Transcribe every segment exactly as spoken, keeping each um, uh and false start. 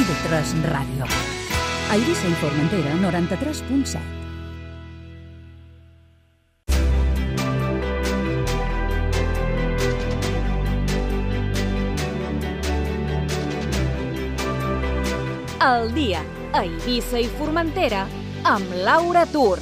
I V tres Ràdio. A Eivissa i Formentera, noranta-tres punt set. El dia a Eivissa i Formentera amb Laura Tur.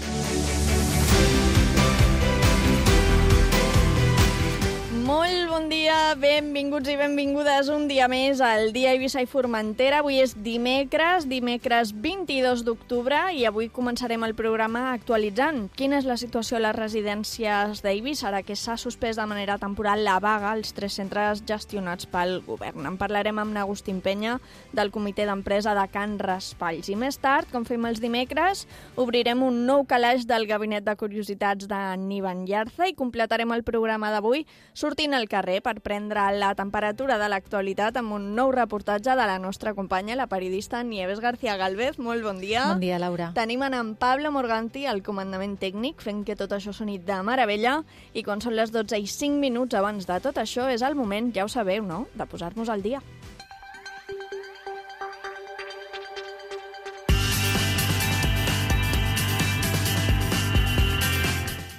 Molt bon dia, benvinguts i benvingudes un dia més al dia a Eivissa i Formentera. Avui és dimecres, dimecres vint-i-dos d'octubre, i avui començarem el programa actualitzant quina és la situació a les residències d'Eivissa, ara que s'ha suspès de manera temporal la vaga als tres centres gestionats pel govern. En parlarem amb Agustín Penya, del comitè d'empresa de Can Raspalls. I més tard, com fem els dimecres, obrirem un nou calaix del Gabinet de Curiositats de Nivan Llarza i completarem el programa d'avui sortint al carrer per prendre la temperatura de l'actualitat amb un nou reportatge de la nostra companya, la periodista Nieves García Galvez. Molt bon dia. Bon dia, Laura. Tenim en Pablo Morganti al comandament tècnic, fent que tot això soni de meravella, i quan són les dotze i cinc minuts abans de tot això és el moment, ja ho sabeu, no?, de posar-nos al dia.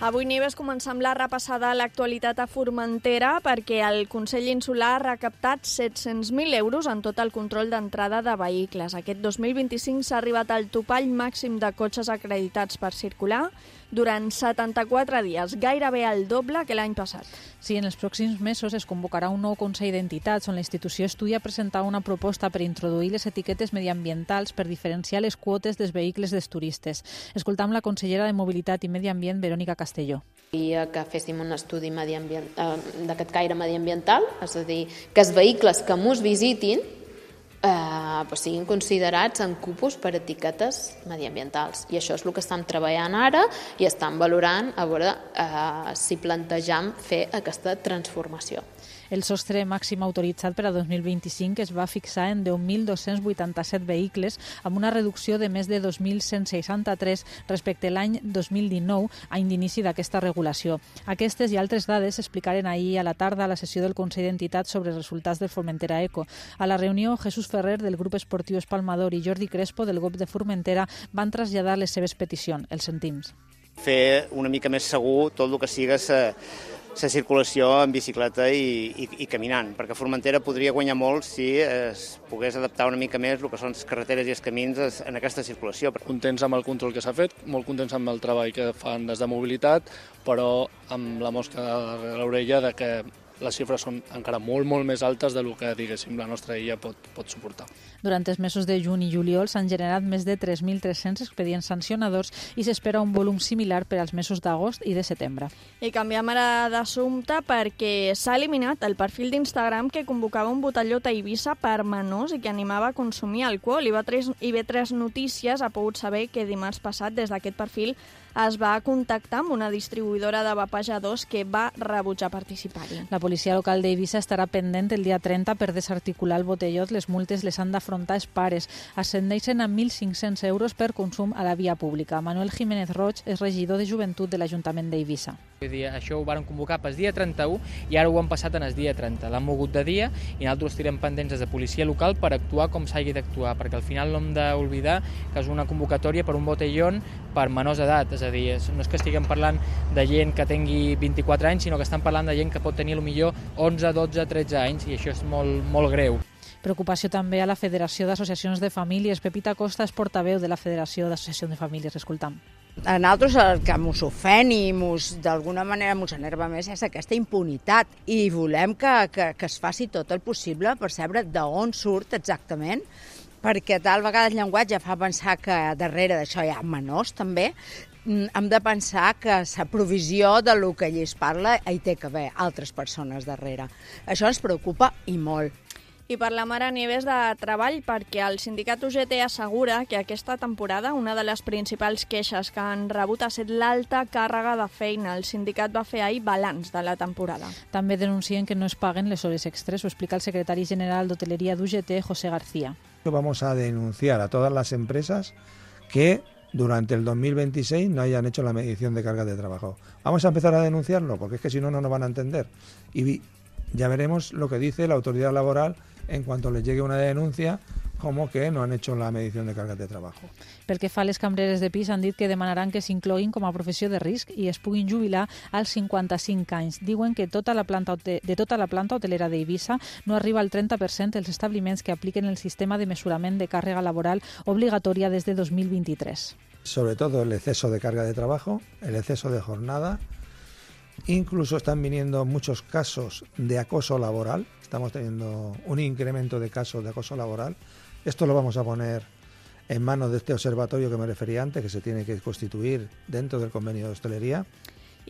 Avui, Nieves, començam la repassada a l'actualitat a Formentera perquè el Consell Insular ha recaptat set-cents mil euros en tot el control d'entrada de vehicles. Aquest dos mil vint-i-cinc s'ha arribat al topall màxim de cotxes acreditats per circular durant setanta-quatre dies, gairebé el doble que l'any passat. Sí, en els pròxims mesos es convocarà un nou Consell d'Entitats on la institució estudia presentar una proposta per introduir les etiquetes mediambientals per diferenciar les quotes dels vehicles dels turistes. Escoltam la consellera de Mobilitat i Medi Ambient, Verònica Castelló. I que féssim un estudi mediambient, eh, d'aquest caire mediambiental, és a dir, que els vehicles que mos visitin eh, pues siguin considerats en cupos per etiquetes mediambientals. I això és el que estem treballant ara i estem valorant a veure eh, si plantejam fer aquesta transformació. El sostre màxim autoritzat per a dos mil vint-i-cinc es va fixar en deu mil dos-cents vuitanta-set vehicles, amb una reducció de més de dos mil cent seixanta-tres respecte a l'any dos mil dinou, any d'inici d'aquesta regulació. Aquestes i altres dades s'explicaren ahir a la tarda a la sessió del Consell d'Entitats sobre els resultats del Formentera Eco. A la reunió, Jesús Ferrer, del grup esportiu Espalmador, i Jordi Crespo, del grup de Formentera, van traslladar les seves peticions. Els sentim. Fer una mica més segur tot el que siga sa la circulació en bicicleta i, i, i caminant, perquè Formentera podria guanyar molt si es pogués adaptar una mica més el que són les carreteres i els camins en aquesta circulació. Contents amb el control que s'ha fet, molt contents amb el treball que fan des de mobilitat, però amb la mosca a l'orella de que les xifres són encara molt, molt més altes del que, diguéssim, la nostra illa pot, pot suportar. Durant els mesos de juny i juliol s'han generat més de tres mil tres-cents expedients sancionadors i s'espera un volum similar per als mesos d'agost i de setembre. I canviem ara d'assumpte perquè s'ha eliminat el perfil d'Instagram que convocava un botellot a Eivissa per menors i que animava a consumir alcohol. I bé tres Notícies ha pogut saber que dimarts passat des d'aquest perfil es va contactar amb una distribuïdora de vapejadors que va rebutjar participar-hi. La policia local d'Eivissa estarà pendent el dia trenta per desarticular el botellot. Les multes les han d'afrontar els pares. Ascendeixen a mil cinc-cents euros per consum a la via pública. Manuel Jiménez Roig és regidor de Joventut de l'Ajuntament d'Eivissa. Vull dir, això ho varen convocar pel dia trenta-u i ara ho han passat en el dia trenta. L'han mogut de dia i nosaltres estirem pendents des de policia local per actuar com s'hagi d'actuar, perquè al final no hem d'oblidar que és una convocatòria per un botellón per menors d'edat, és a dir, no és que estiguem parlant de gent que tingui vint-i-quatre anys, sinó que estem parlant de gent que pot tenir potser onze, dotze, tretze anys, i això és molt, molt greu. Preocupació també a la Federació d'Associacions de Famílies. Pepita Costa és portaveu de la Federació d'Associacions de Famílies. Escoltam. A nosaltres el que mos ofèn i d'alguna manera mos enerva més és aquesta impunitat i volem que, que, que es faci tot el possible per saber d'on surt exactament, perquè tal vegada el llenguatge fa pensar que darrere d'això hi ha menors també. Hem de pensar que la provisió de lo que allí es parla hi té que haver altres persones darrere. Això ens preocupa i molt. I parlem ara, Nieves, de treball, perquè el sindicat U G T assegura que aquesta temporada una de les principals queixes que han rebut ha estat l'alta càrrega de feina. El sindicat va fer ahir balanç de la temporada. També denuncien que no es paguen les hores extres. Ho explica el secretari general d'Hoteleria d'U G T, José García. Vamos a denunciar a todas las empresas que durante el dos mil veintiséis no hayan hecho la medición de cargas de trabajo. Vamos a empezar a denunciarlo, porque es que si no, no nos van a entender. Y ya veremos lo que dice la autoridad laboral en cuanto les llegue una denuncia como que no han hecho la medición de cargas de trabajo. Pel que fa a les cambreres de pis, han dit que demanaran que s'incloguin com a professió de risc i es puguin jubilar als cinquanta-cinc anys. Diuen que tota la planta de tota la planta hotelera d'Eivissa no arriba al trenta per cent dels establiments que apliquen el sistema de mesurament de càrrega laboral obligatòria des de dos mil vint-i-tres. Sobre todo el exceso de carga de trabajo, el exceso de jornada. Incluso están viniendo muchos casos de acoso laboral. Estamos teniendo un incremento de casos de acoso laboral. Esto lo vamos a poner en manos de este observatorio que me refería antes, que se tiene que constituir dentro del convenio de hostelería.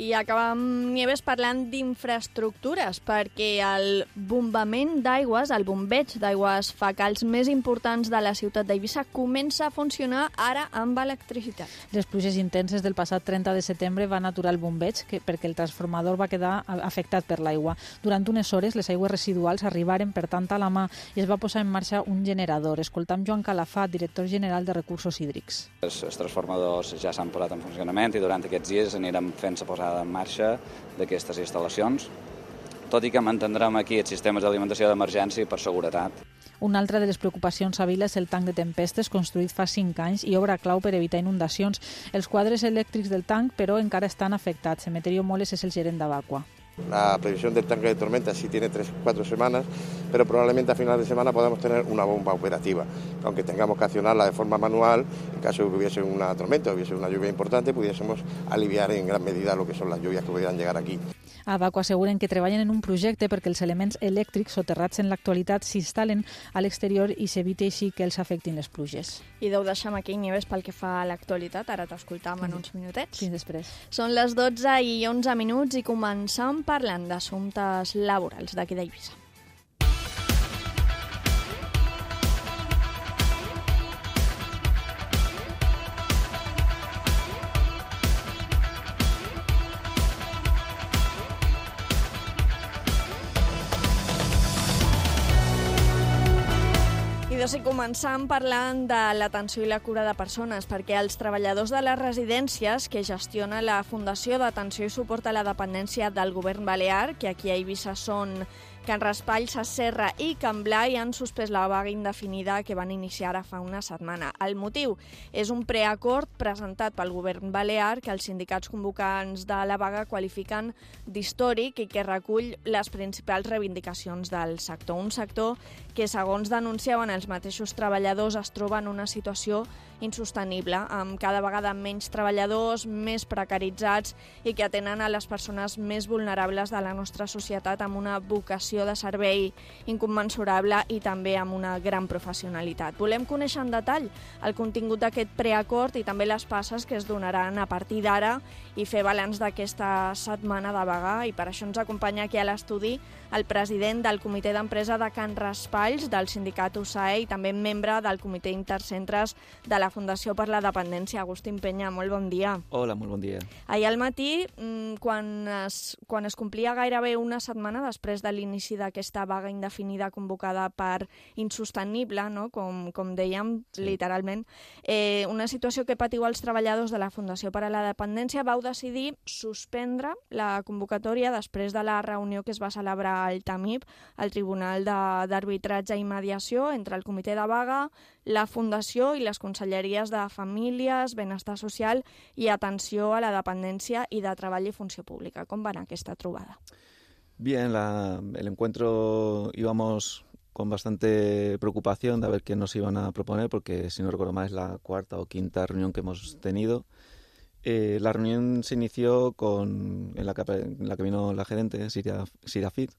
I acabem, Nieves, parlant d'infraestructures, perquè el bombament d'aigües, el bombeig d'aigües fecals més importants de la ciutat d'Eivissa comença a funcionar ara amb electricitat. Les pluges intenses del passat trenta de setembre van aturar el bombeig que, perquè el transformador va quedar afectat per l'aigua. Durant unes hores les aigües residuals arribaren per tant a la mà i es va posar en marxa un generador. Escoltam Joan Calafat, director general de Recursos Hídrics. Els, els transformadors ja s'han posat en funcionament i durant aquests dies anirem fent-se posar en marxa d'aquestes instal·lacions, tot i que mantindrem aquí els sistemes d'alimentació d'emergència per seguretat. Una altra de les preocupacions a Vila és el tanc de tempestes construït fa cinc anys i obra clau per evitar inundacions. Els quadres elèctrics del tanc, però, encara estan afectats. Emeterio Moles és el gerent d'Avacua. La previsión del tanque de tormenta sí tiene tres o cuatro semanas, pero probablemente a final de semana podamos tener una bomba operativa. Aunque tengamos que accionarla de forma manual, en caso de que hubiese una tormenta o hubiese una lluvia importante, pudiésemos aliviar en gran medida lo que son las lluvias que pudieran llegar aquí. A Avacua asseguren que treballen en un projecte perquè els elements elèctrics soterrats en l'actualitat s'instal·len a l'exterior i s'eviti així que els afectin les pluges. I deu deixar aquí, Nieves, pel que fa a l'actualitat. Ara t'escoltam en uns minutets. Fins després. Són les dotze i onze minuts i començam parlant d'assumptes laborals d'aquí d'Eivissa. I començam parlant de l'atenció i la cura de persones, perquè els treballadors de les residències que gestiona la Fundació d'Atenció i Suport a la Dependència del Govern Balear, que aquí a Eivissa són Can Raspall, Ses Serra i Can Blai, han suspès la vaga indefinida que van iniciar ara fa una setmana. El motiu és un preacord presentat pel Govern Balear que els sindicats convocants de la vaga qualifiquen d'històric i que recull les principals reivindicacions del sector. Un sector que, segons denunciaven els mateixos treballadors, es troba en una situació insostenible, amb cada vegada menys treballadors, més precaritzats i que atenen a les persones més vulnerables de la nostra societat amb una vocació de servei incommensurable i també amb una gran professionalitat. Volem conèixer en detall el contingut d'aquest preacord i també les passes que es donaran a partir d'ara i fer balanç d'aquesta setmana de vaga, i per això ens acompanya aquí a l'estudi el president del comitè d'empresa de Can Raspalls, del sindicat U S A E i també membre del comitè intercentres de la Fundació per la Dependència, Agustín Peña. Molt bon dia. Hola, molt bon dia. Ahir al matí, quan es, quan es complia gairebé una setmana després de l'inici d'aquesta vaga indefinida convocada per insostenible, no? com, com dèiem, sí. literalment, eh, una situació que patiu els treballadors de la Fundació per a la Dependència, vau decidir suspendre la convocatòria després de la reunió que es va celebrar al T A M I P, el Tribunal d'Arbitratge i Mediació, entre el comitè de vaga, la Fundació i les conselleries de Famílies, Benestar Social i Atenció a la Dependència i de Treball i Funció Pública. Com va anar aquesta trobada? Bien, la, el encuentro íbamos con bastante preocupación de ver qué nos iban a proponer, porque si no recuerdo mal es la cuarta o quinta reunión que hemos tenido. Eh, la reunión se inició con, en, la que, en la que vino la gerente, Siria, Siria Fit,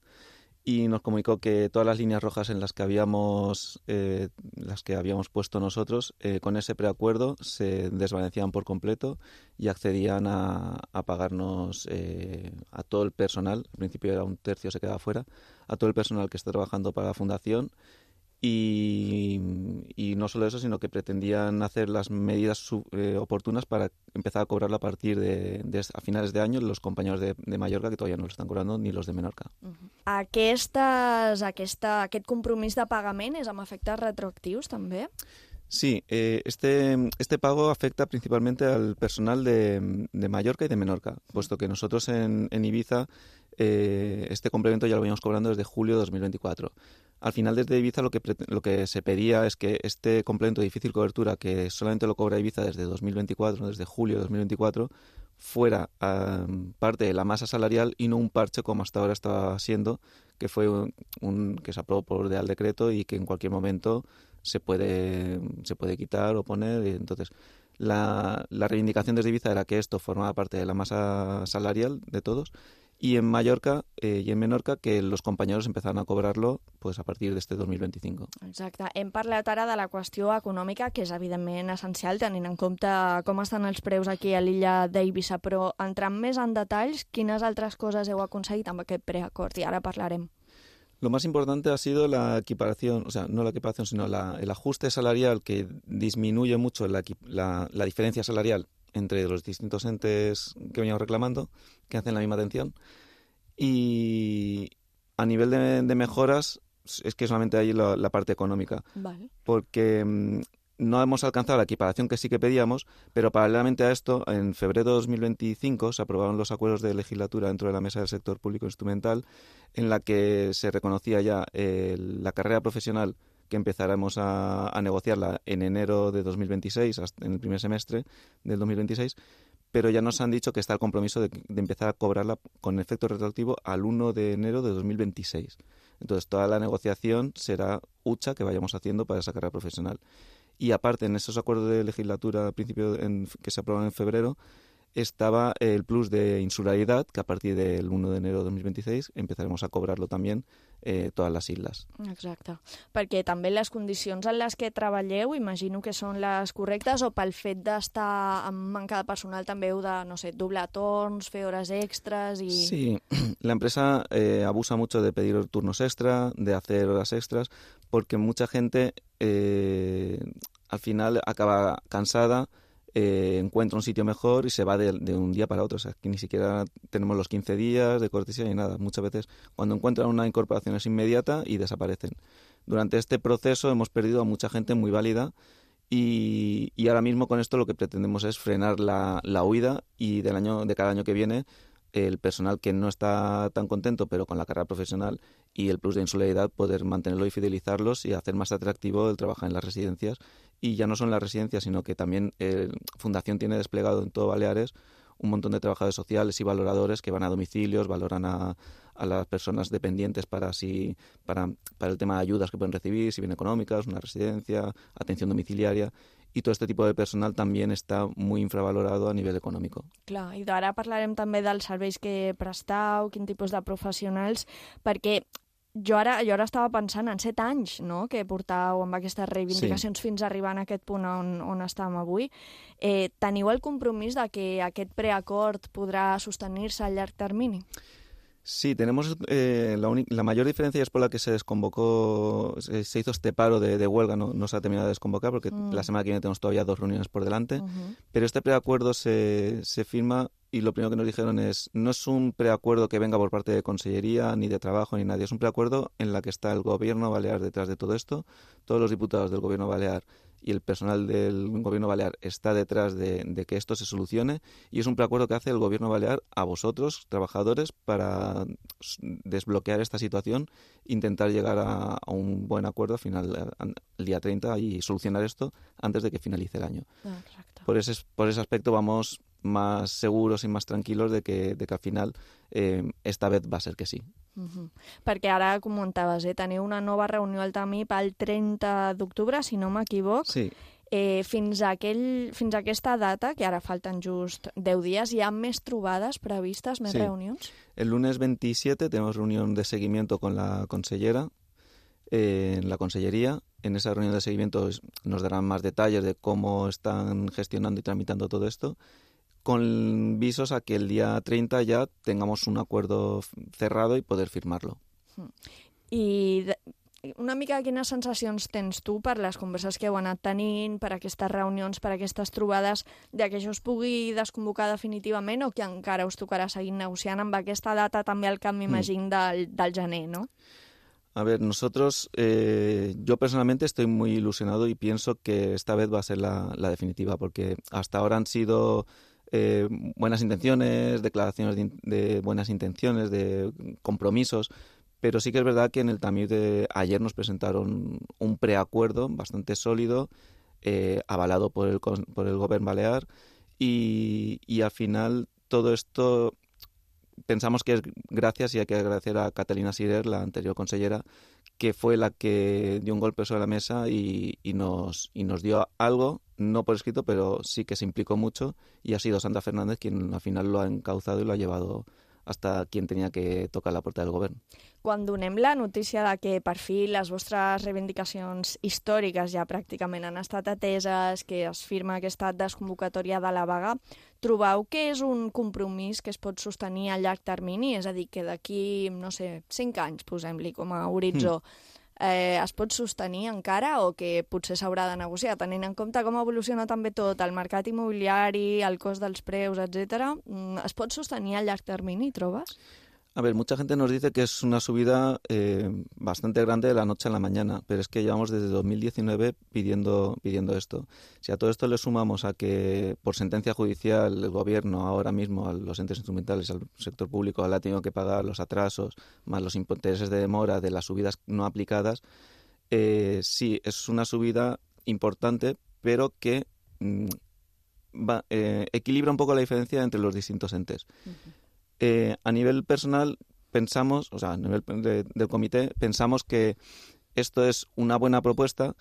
y nos comunicó que todas las líneas rojas en las que habíamos, eh, las que habíamos puesto nosotros, eh, con ese preacuerdo se desvanecían por completo y accedían a, a pagarnos eh, a todo el personal, al principio era un tercio, se quedaba fuera, a todo el personal que está trabajando para la Fundación. Y, y no solo eso, sino que pretendían hacer las medidas sub, eh, oportunas para empezar a cobrarlo a partir de, de a finales de año los compañeros de, de Mallorca, que todavía no lo están cobrando, ni los de Menorca. Uh-huh. Aquestes, aquesta, aquest compromís de pagament és amb efectes retroactius també? Sí, eh, este, este pago afecta principalmente al personal de, de Mallorca y de Menorca, puesto que nosotros en, en Ibiza eh, este complemento ya lo veníamos cobrando desde julio de dos mil veinticuatro. Al final, desde Ibiza lo que, lo que se pedía es que este complemento de difícil cobertura, que solamente lo cobra Ibiza desde dos mil veinticuatro, desde julio de dos mil veinticuatro, fuera um, parte de la masa salarial y no un parche como hasta ahora estaba siendo, que fue un, un que se aprobó por Real Decreto y que en cualquier momento se puede, se puede quitar o poner. Y entonces, la, la reivindicación desde Ibiza era que esto formaba parte de la masa salarial de todos, y en Mallorca eh, i en Menorca que los compañeros empezaran a cobrarlo pues, a partir d'este dos mil vint-i-cinc. Exacte. Hem parlat ara de la qüestió econòmica, que és evidentment essencial, tenint en compte com estan els preus aquí a l'illa d'Eivissa, però entrant més en detalls, quines altres coses heu aconseguit amb aquest preacord? I ara parlarem. Lo más importante ha sido la equiparación, o sea, no la equiparación, sino la, el ajuste salarial que disminuye mucho la, la, la diferencia salarial entre los distintos entes que veníamos reclamando, que hacen la misma atención. Y a nivel de, de mejoras, es que solamente hay la, la parte económica. Vale. Porque mmm, no hemos alcanzado la equiparación que sí que pedíamos, pero paralelamente a esto, en febrero de dos mil veinticinco se aprobaron los acuerdos de legislatura dentro de la Mesa del Sector Público Instrumental, en la que se reconocía ya eh, la carrera profesional, que empezaremos a, a negociarla en enero de dos mil veintiséis, hasta en el primer semestre del dos mil veintiséis, pero ya nos han dicho que está el compromiso de, de empezar a cobrarla con efecto retroactivo al uno de enero de dos mil veintiséis. Entonces, toda la negociación será hucha que vayamos haciendo para esa carrera profesional. Y aparte, en esos acuerdos de legislatura al principio en, que se aprobaron en febrero, estaba el plus de insularidad, que a partir del uno de enero de dos mil veintiséis empezaremos a cobrarlo también eh, todas les illes. Exacte, perquè també les condicions en les que treballeu, imagino que són les correctes, o pel fet d'estar amb manca de personal també heu de, no sé, doblar torns, fer hores extras y... Sí, la empresa eh, abusa mucho de pedir turnos extra, de hacer horas extras, porque mucha gente eh, al final acaba cansada, Eh, encuentra un sitio mejor y se va de, de un día para otro. O sea, que ni siquiera tenemos los quince días de cortesía ni nada. Muchas veces cuando encuentran una incorporación es inmediata y desaparecen. Durante este proceso hemos perdido a mucha gente muy válida y, y ahora mismo con esto lo que pretendemos es frenar la, la huida y del año, de cada año que viene el personal que no está tan contento pero con la carrera profesional y el plus de insularidad poder mantenerlo y fidelizarlos y hacer más atractivo el trabajar en las residencias. Y ya no son las residencias, sino que también eh, Fundación tiene desplegado en todo Baleares un montón de trabajadores sociales y valoradores que van a domicilios, valoran a, a las personas dependientes para, si, para, para el tema de ayudas que pueden recibir, si bien económicas, una residencia, atención domiciliaria. Y todo este tipo de personal también está muy infravalorado a nivel económico. Clar, i ara parlarem també dels serveis que prestau, quin tipus de professionals, perquè jo ara, jo ara estava pensant en set anys, no?, que portau amb aquestes reivindicacions sí. fins a arribar en aquest punt on, on estàvem avui. Eh, teniu el compromís de que aquest preacord podrà sostenir-se a llarg termini? Sí, tenemos eh, la, la mayor diferencia es por la que se desconvocó, se, se hizo este paro de, de huelga, no, no se ha terminado de desconvocar porque mm. la semana que viene tenemos todavía dos reuniones por delante, uh-huh. pero este preacuerdo se, se firma y lo primero que nos dijeron es, no es un preacuerdo que venga por parte de Consellería, ni de Trabajo, ni nadie, es un preacuerdo en la que está el Gobierno Balear detrás de todo esto, todos los diputados del Gobierno Balear y el personal del Gobierno Balear está detrás de, de que esto se solucione y es un preacuerdo que hace el Gobierno Balear a vosotros, trabajadores, para desbloquear esta situación, intentar llegar a, a un buen acuerdo al final, el día treinta y solucionar esto antes de que finalice el año. Exacto. Por ese, por ese aspecto vamos más seguros y más tranquilos de que, de que al final eh, esta vez va a ser que sí. Uh-huh. Perquè ara comentaves, eh, teniu una nova reunió al Tamí pel trenta d'octubre, si no m'equivoc. Sí. Eh, fins, a aquell, fins a aquesta data, que ara falten just deu dies, hi ha més trobades previstes, més sí. reunions? El lunes veintisiete tenemos reunión de seguimiento con la consellera, eh, en la consellería. En esa reunión de seguimiento nos darán más detalles de cómo están gestionando y tramitando todo esto, con visos a que el día treinta ya tengamos un acuerdo cerrado y poder firmarlo. I de, una mica quines sensacions tens tu per les converses que heu anat tenint, per aquestes reunions, per aquestes trobades, de que això es pugui desconvocar definitivament o que encara us tocarà seguir negociant amb aquesta data també al cap, m'imagino, del, del gener, no? A ver, nosotros, eh, yo personalmente estoy muy ilusionado y pienso que esta vez va a ser la, la definitiva, porque hasta ahora han sido eh, buenas intenciones, declaraciones de, de buenas intenciones, de compromisos, pero sí que es verdad que en el Tamir de ayer nos presentaron un preacuerdo bastante sólido, eh, avalado por el, por el Govern Balear, y, y al final todo esto pensamos que es gracias, y hay que agradecer a Catalina Sirer, la anterior consellera, que fue la que dio un golpe sobre la mesa y, y, nos, y nos dio algo, no por escrito, pero sí que se implicó mucho, y ha sido Sandra Fernández quien al final lo ha encauzado y lo ha llevado hasta quien tenia que tocar la porta del govern. Quan donem la notícia de que per fi les vostres reivindicacions històriques ja pràcticament han estat ateses, que es firma aquesta desconvocatòria de la vaga, trobeu que és un compromís que es pot sostenir a llarg termini? És a dir, que d'aquí, no sé, cinc anys, posem-li com a horitzó, mm. Eh, es pot sostenir encara o que potser s'haurà de negociar, tenint en compte com evoluciona també tot, el mercat immobiliari, el cost dels preus, etcètera. ¿Es pot sostenir a llarg termini, trobes? A ver, mucha gente nos dice que es una subida eh, bastante grande de la noche a la mañana, pero es que llevamos desde dos mil diecinueve pidiendo, pidiendo esto. Si a todo esto le sumamos a que por sentencia judicial el gobierno ahora mismo, a los entes instrumentales, al sector público, le ha tenido que pagar los atrasos, más los intereses de demora de las subidas no aplicadas, eh, sí, es una subida importante, pero que mm, va, eh, equilibra un poco la diferencia entre los distintos entes. Uh-huh. Eh, a nivel personal pensamos, o sea, a nivel de, del comité, pensamos que esto es una buena propuesta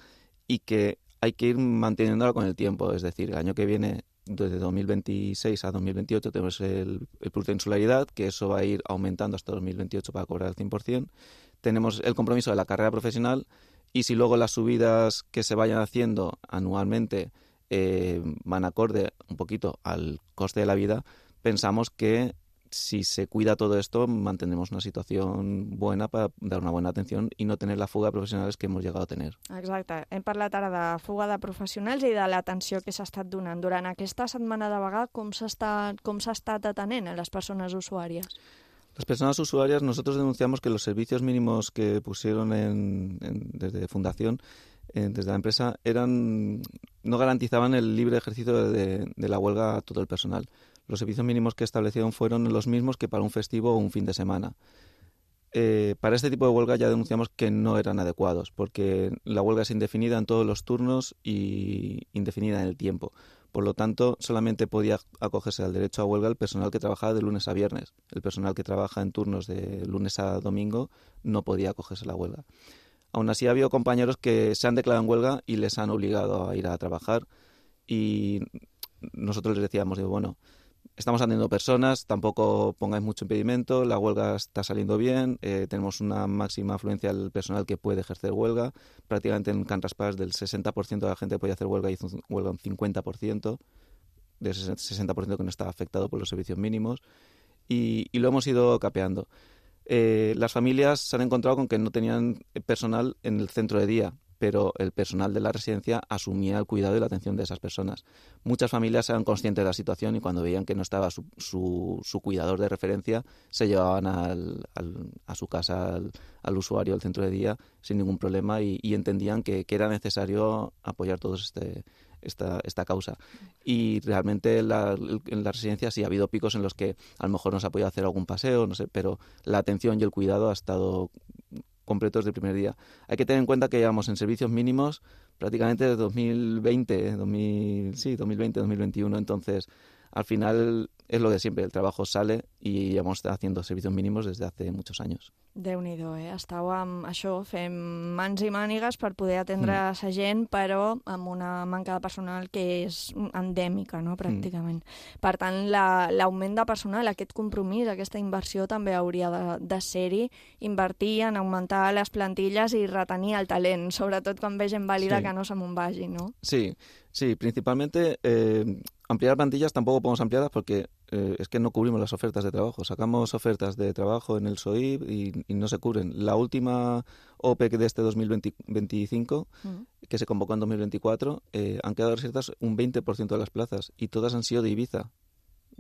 y que hay que ir manteniéndola con el tiempo. Es decir, el año que viene, desde dos mil veintiséis a dos mil veintiocho, tenemos el, el plus de insularidad, que eso va a ir aumentando hasta dos mil veintiocho para cobrar el cien por ciento. Tenemos el compromiso de la carrera profesional, y si luego las subidas que se vayan haciendo anualmente eh, van acorde un poquito al coste de la vida, pensamos que si se cuida todo esto, mantendremos una situación buena para dar una buena atención i no tener la fuga de professionals que hemos llegado a tener. Exacte. Hem parlat ara de fuga de professionals i de l'atenció que s'ha estat donant. Durant aquesta setmana de vaga, com s'ha estat, com s'ha estat atenent a les persones usuàries? Las personas usuarias, nosotros denunciamos que los servicios mínimos que pusieron en, en, desde Fundación, eh, desde la empresa, eran no garantizaban el libre ejercicio de, de la huelga a todo el personal. Los servicios mínimos que establecieron fueron los mismos que para un festivo o un fin de semana. Eh, para este tipo de huelga ya denunciamos que no eran adecuados, porque la huelga es indefinida en todos los turnos y indefinida en el tiempo. Por lo tanto, solamente podía acogerse al derecho a huelga el personal que trabajaba de lunes a viernes. El personal que trabaja en turnos de lunes a domingo no podía acogerse a la huelga. Aún así, ha habido compañeros que se han declarado en huelga y les han obligado a ir a trabajar, y nosotros les decíamos, digo, bueno, estamos atendiendo personas, tampoco pongáis mucho impedimento, la huelga está saliendo bien, eh, tenemos una máxima afluencia del personal que puede ejercer huelga. Prácticamente en Can Raspall del sesenta por ciento de la gente que podía hacer huelga hizo huelga un cincuenta por ciento, de ese sesenta por ciento que no estaba afectado por los servicios mínimos, y, y lo hemos ido capeando. Eh, las familias se han encontrado con que no tenían personal en el centro de día, pero el personal de la residencia asumía el cuidado y la atención de esas personas. Muchas familias eran conscientes de la situación y cuando veían que no estaba su, su, su cuidador de referencia, se llevaban al, al, a su casa al, al usuario del centro de día sin ningún problema, y, y entendían que, que era necesario apoyar todos este, esta, esta causa. Y realmente la, en la residencia sí ha habido picos en los que a lo mejor nos ha podido hacer algún paseo, no sé, pero la atención y el cuidado ha estado completos del primer día. Hay que tener en cuenta que llevamos en servicios mínimos prácticamente desde dos mil veinte, dos mil, sí, dos mil veinte, dos mil veintiuno, entonces al final es lo de siempre, el trabajo sale y llevamos haciendo servicios mínimos desde hace muchos años. Déu-n'hi-do, eh? Estàu amb això, fem mans i mànigues per poder atendre mm. sa gent, però amb una manca de personal que és endèmica, no?, pràcticament. Mm. Per tant, l'augment la, de personal, aquest compromís, aquesta inversió també hauria de, de ser-hi, invertir en augmentar les plantilles i retenir el talent, sobretot quan ve gent vàlida sí. que no se me'n vagi, no? Sí, sí, principalmente eh, ampliar plantillas tampoco podemos ampliarlas porque eh, es que no cubrimos las ofertas de trabajo. Sacamos ofertas de trabajo en el S O I y, y no se cubren. La última O P E de este dos mil veinticinco, uh-huh. que se convocó en dos mil veinticuatro, eh, han quedado desiertas un veinte por ciento de las plazas y todas han sido de Ibiza.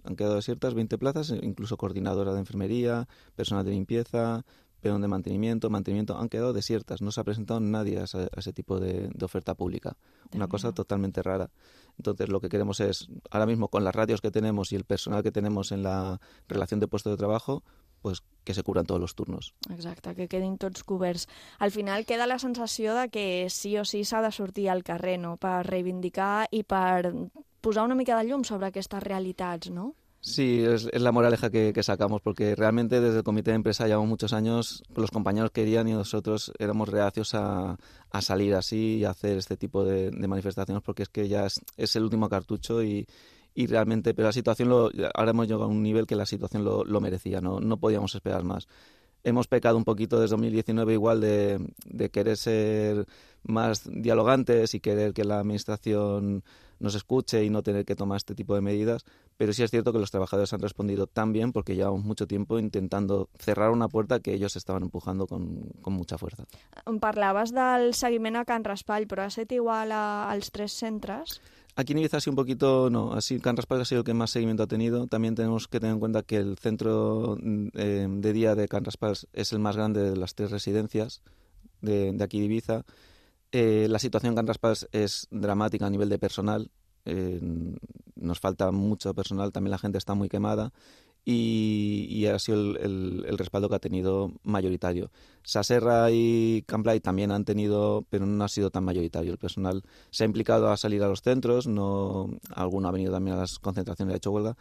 Han quedado desiertas veinte plazas, incluso coordinadora de enfermería, personal de limpieza, pero de mantenimiento, mantenimiento, han quedado desiertas. No se ha presentado nadie a ese, a ese tipo de, de oferta pública. Una cosa totalmente rara. Entonces, lo que queremos es, ahora mismo, con las radios que tenemos y el personal que tenemos en la relación de puesto de trabajo, pues que se cubran todos los turnos. Exacte, que quedin tots coberts. Al final queda la sensació de que sí o sí s'ha de sortir al carrer, no?, per reivindicar i per posar una mica de llum sobre aquestes realitats, ¿no? Sí, es, es la moraleja que, que sacamos, porque realmente desde el comité de empresa llevamos muchos años, los compañeros querían y nosotros éramos reacios a, a salir así y a hacer este tipo de, de manifestaciones, porque es que ya es, es el último cartucho y, y realmente, pero la situación, lo, ahora hemos llegado a un nivel que la situación lo, lo merecía, no, no podíamos esperar más. Hemos pecado un poquito desde dos mil diecinueve igual de, de querer ser más dialogantes y querer que la administración nos escuche y no tener que tomar este tipo de medidas, pero sí es cierto que los trabajadores han respondido tan bien porque llevamos mucho tiempo intentando cerrar una puerta que ellos estaban empujando con, con mucha fuerza. Parlaves del seguiment a Can Raspall, però ha estat igual a, als tres centres? Aquí en Ibiza sí un poquito, no, así Can Raspall ha sido el que más seguimiento ha tenido. También tenemos que tener en cuenta que el centro eh, de día de Can Raspall es el más grande de las tres residencias de, de aquí de Ibiza. Eh, la situación en Can Raspall es dramática a nivel de personal. Eh, nos falta mucho personal, también la gente está muy quemada. Y, y ha sido el, el, el respaldo que ha tenido mayoritario. Saserra y Camplay también han tenido, pero no ha sido tan mayoritario. El personal se ha implicado a salir a los centros, no, alguno ha venido también a las concentraciones y ha hecho huelga,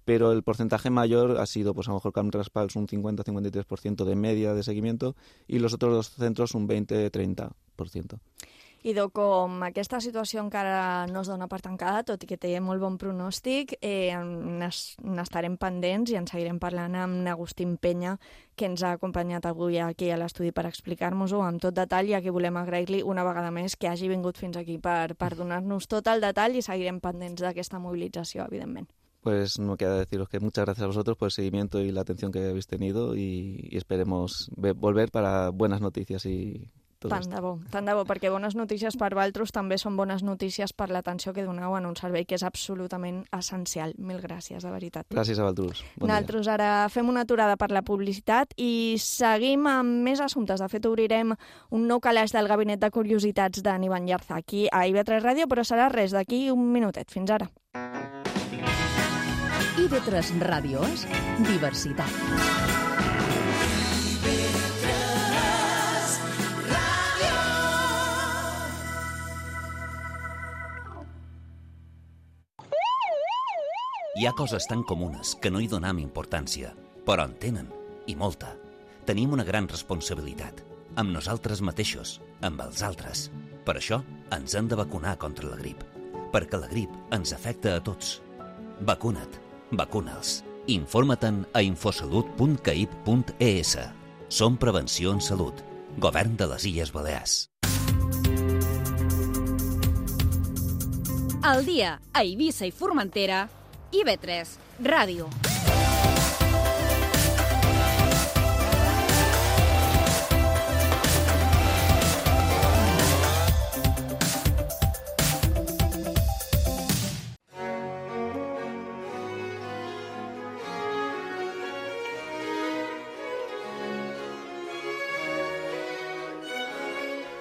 pero el porcentaje mayor ha sido, pues a lo mejor Can Raspall un cincuenta a cincuenta y tres por ciento de media de seguimiento y los otros dos centros un veinte a treinta por ciento. Idò, com aquesta situació encara no es dona per tancada, tot i que té molt bon pronòstic, eh, n'estarem pendents i en seguirem parlant amb Agustín Penya, que ens ha acompanyat avui aquí a l'estudi per explicar-nos-ho amb tot detall, i a qui volem agrair-li una vegada més que hagi vingut fins aquí per, per donar-nos tot el detall, i seguirem pendents d'aquesta mobilització, evidentment. Pues no me queda deciros que muchas gracias a vosotros por el seguimiento y la atención que habéis tenido y, y esperemos volver para buenas noticias y Tant de bo, tant de bo, perquè bones notícies per Valtros també són bones notícies per l'atenció que doneu en un servei que és absolutament essencial. Mil gràcies, de veritat. Gràcies a Valtros. Bon Nosaltres dia. Ara fem una aturada per la publicitat i seguim amb més assumptes. De fet, obrirem un nou calaix del Gabinet de Curiositats d'en Ivan Llarza aquí a I V tres Ràdio, però serà res d'aquí un minutet. Fins ara. I V tres Ràdio és diversitat. Hi ha coses tan comunes que no hi donam importància, però en tenen, i molta. Tenim una gran responsabilitat, amb nosaltres mateixos, amb els altres. Per això ens hem de vacunar contra la grip, perquè la grip ens afecta a tots. Vacuna't, vacuna'ls. Informa-te'n a infosalut punt caip punt e s. Som Prevenció en Salut, Govern de les Illes Balears. Al dia a Eivissa i Formentera, I V tres Ràdio.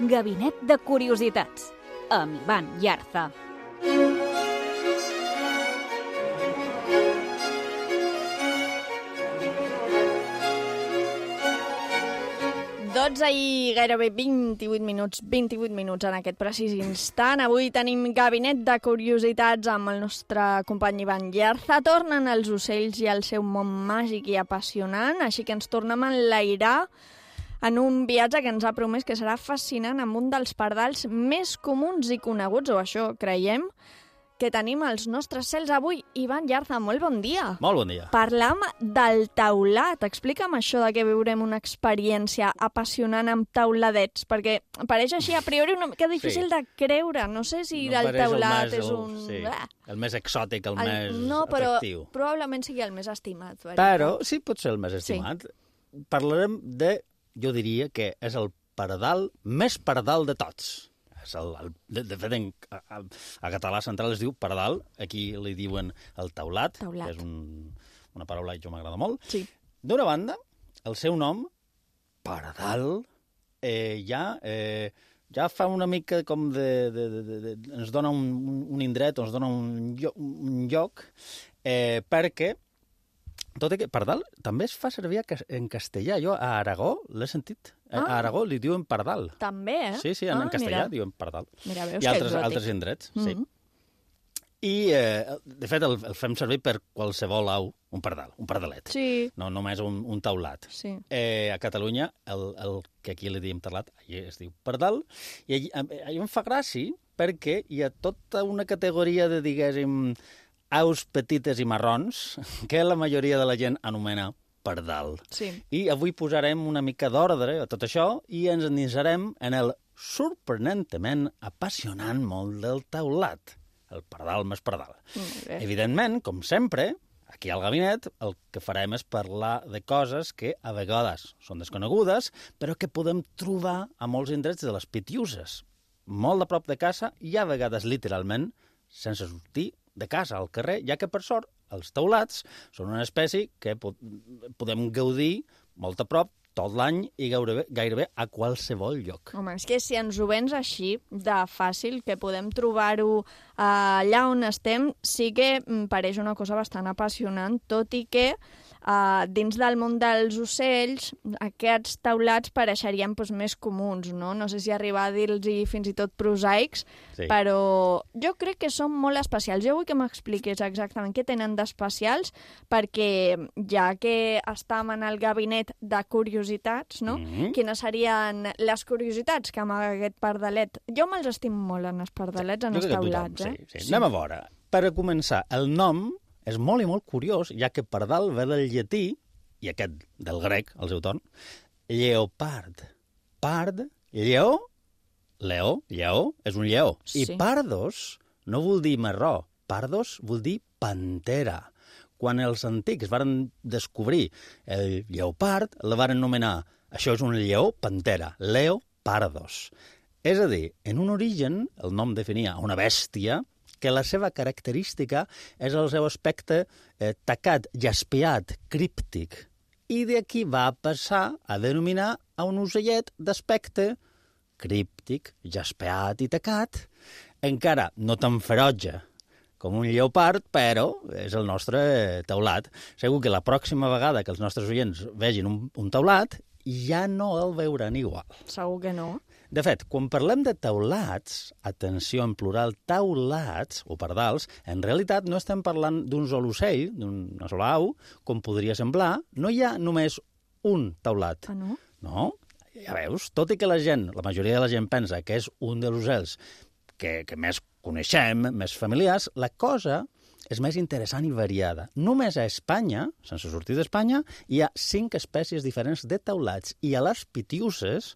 Gabinet de Curiositats, amb Ivan Llarza. dotze i gairebé vint-i-vuit minuts, vint-i-vuit minuts en aquest precís instant. Avui tenim Gabinet de Curiositats amb el nostre company Ivan Llarza. Tornen els ocells i el seu món màgic i apassionant, així que ens tornem a enlairar en un viatge que ens ha promès que serà fascinant amb un dels pardals més comuns i coneguts, o això creiem, que tenim als nostres cels avui. Ivan Llarza, molt bon dia. Molt bon dia. Parlam del taulat. Explica'm això de que viurem una experiència apassionant amb tauladets, perquè pareix així a priori una mica difícil sí. de creure. No sé si no el taulat el més, és un... El, sí. ah. el més exòtic, el, el més no, però atractiu. Probablement sigui el més estimat. Veritat? Però sí, pot ser el més estimat. Sí. Parlarem de, jo diria que és el pardal més pardal de tots. És el, el, de, de fet, en, a, a català central es diu pardal, aquí li diuen el taulat, taulat. que és un, una paraula que jo m'agrada molt. Sí. D'una banda, el seu nom, pardal eh, ja, eh, ja fa una mica com de... de, de, de, de ens dona un, un indret, ens dona un lloc, un lloc eh, perquè, tot i que pardal també es fa servir en castellà. Jo a Aragó l'he sentit. Ah. A Aragó li diuen pardal. També, eh? Sí, sí, en, ah, en castellà mira. diuen pardal. Mira, veus I que altres, exòtic. altres indrets, Mm-hmm. sí. I, eh, de fet, el, el fem servir per qualsevol au, un pardal, un pardalet. Sí. No només un, un taulat. Sí. Eh, a Catalunya, el, el que aquí li diem taulat, allà es diu pardal, i allí, allà em fa gràcia perquè hi ha tota una categoria de, diguéssim, aus petites i marrons que la majoria de la gent anomena pardal. Sí. I avui posarem una mica d'ordre a tot això i ens endinsarem en el sorprenentment apassionant món del taulat. El pardal més pardal. Evidentment, com sempre, aquí al gabinet el que farem és parlar de coses que a vegades són desconegudes, però que podem trobar a molts indrets de les Pitiuses, molt a prop de casa i a vegades literalment sense sortir de casa al carrer, ja que per sort els taulats són una espècie que podem gaudir molt a prop tot l'any i gairebé, gairebé a qualsevol lloc. Home, és que si ens ho vens així, de fàcil, que podem trobar-ho allà on estem, sí que em pareix una cosa bastant apassionant, tot i que uh, dins del món dels ocells aquests taulats pareixerien doncs, més comuns, no? No sé si arribar a dir-los fins i tot prosaics, sí. Però jo crec que són molt especials. Jo vull que m'expliquis exactament què tenen d'especials, perquè ja que estàvem en el gabinet de curiositats, no? Mm-hmm. Quines serien les curiositats que amaga aquest pardalet? Jo me'ls estimo molt en els pardalets, sí. En els taulats. Tothom, eh? sí, sí. Sí. Anem a veure. Per a començar, el nom és molt i molt curiós, ja que pardal ve del llatí, i aquest del grec, al seu torn, lleopard. Pard, lleó, leó, lleó, és un lleó. Sí. I pardos no vol dir marró, pardos vol dir pantera. Quan els antics varen descobrir el lleopard, la varen anomenar, això és un lleó pantera, leo pardos. És a dir, en un origen, el nom definia una bèstia que la seva característica és el seu aspecte eh, tacat, jaspiat, críptic. I d'aquí va passar a denominar a un ocellet d'aspecte críptic, jaspiat i tacat, encara no tan ferotge com un lleopard, però és el nostre taulat. Segur que la pròxima vegada que els nostres oients vegin un, un taulat, ja no el veuran igual. Segur que no. De fet, quan parlem de taulats, atenció en plural, taulats o pardals, en realitat no estem parlant d'un sol ocell, d'una sola au, com podria semblar. No hi ha només un taulat. Ah, no? No, ja veus, tot i que la gent, la majoria de la gent pensa que és un dels ocells que, que més coneixem, més familiars, la cosa és més interessant i variada. Només a Espanya, sense sortir d'Espanya, hi ha cinc espècies diferents de taulats. I a les Pitiuses,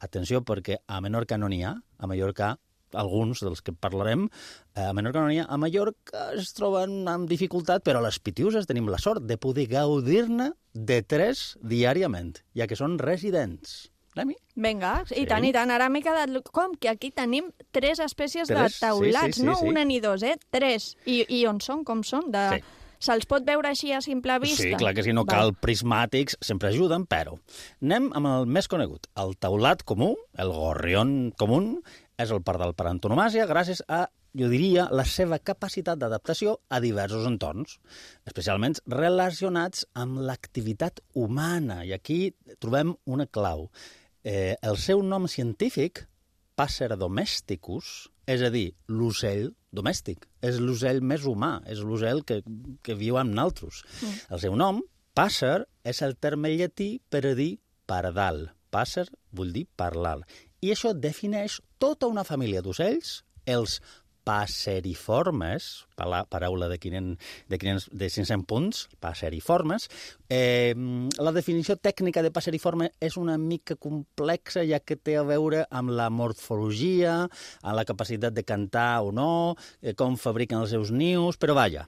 atenció perquè a Menorca no n'hi ha, a Mallorca alguns dels que parlarem, a Menorca no n'hi ha, a Mallorca es troben amb dificultat, però a les Pitiuses tenim la sort de poder gaudir-ne de tres diàriament, ja que són residents. Anem-hi? Vinga, i sí. tant, i tant. Ara m'he quedat... Com que aquí tenim tres espècies tres? de taulats, sí, sí, sí, no sí. Una ni dos, eh? Tres. I, i on són? Com són? De... Sí. Se'ls pot veure així a simple vista? Sí, clar que si no cal prismàtics, sempre ajuden, però anem amb el més conegut. El taulat comú, el gorrión comú, és el pardal per antonomàsia gràcies a, jo diria, la seva capacitat d'adaptació a diversos entorns, especialment relacionats amb l'activitat humana. I aquí trobem una clau. Eh, el seu nom científic, Passer domesticus, és a dir, l'ocell domèstic. És l'ocell més humà, és l'ocell que, que viu amb nosaltres. Mm. El seu nom, passer, és el terme llatí per a dir pardal. Passer vol dir parlar. I això defineix tota una família d'ocells, els passeriformes, paraula de, quinze, de, quinze, de cinc-cents punts, passeriformes. Eh, la definició tècnica de passeriforme és una mica complexa, ja que té a veure amb la morfologia, amb la capacitat de cantar o no, eh, com fabriquen els seus nius, però vaja,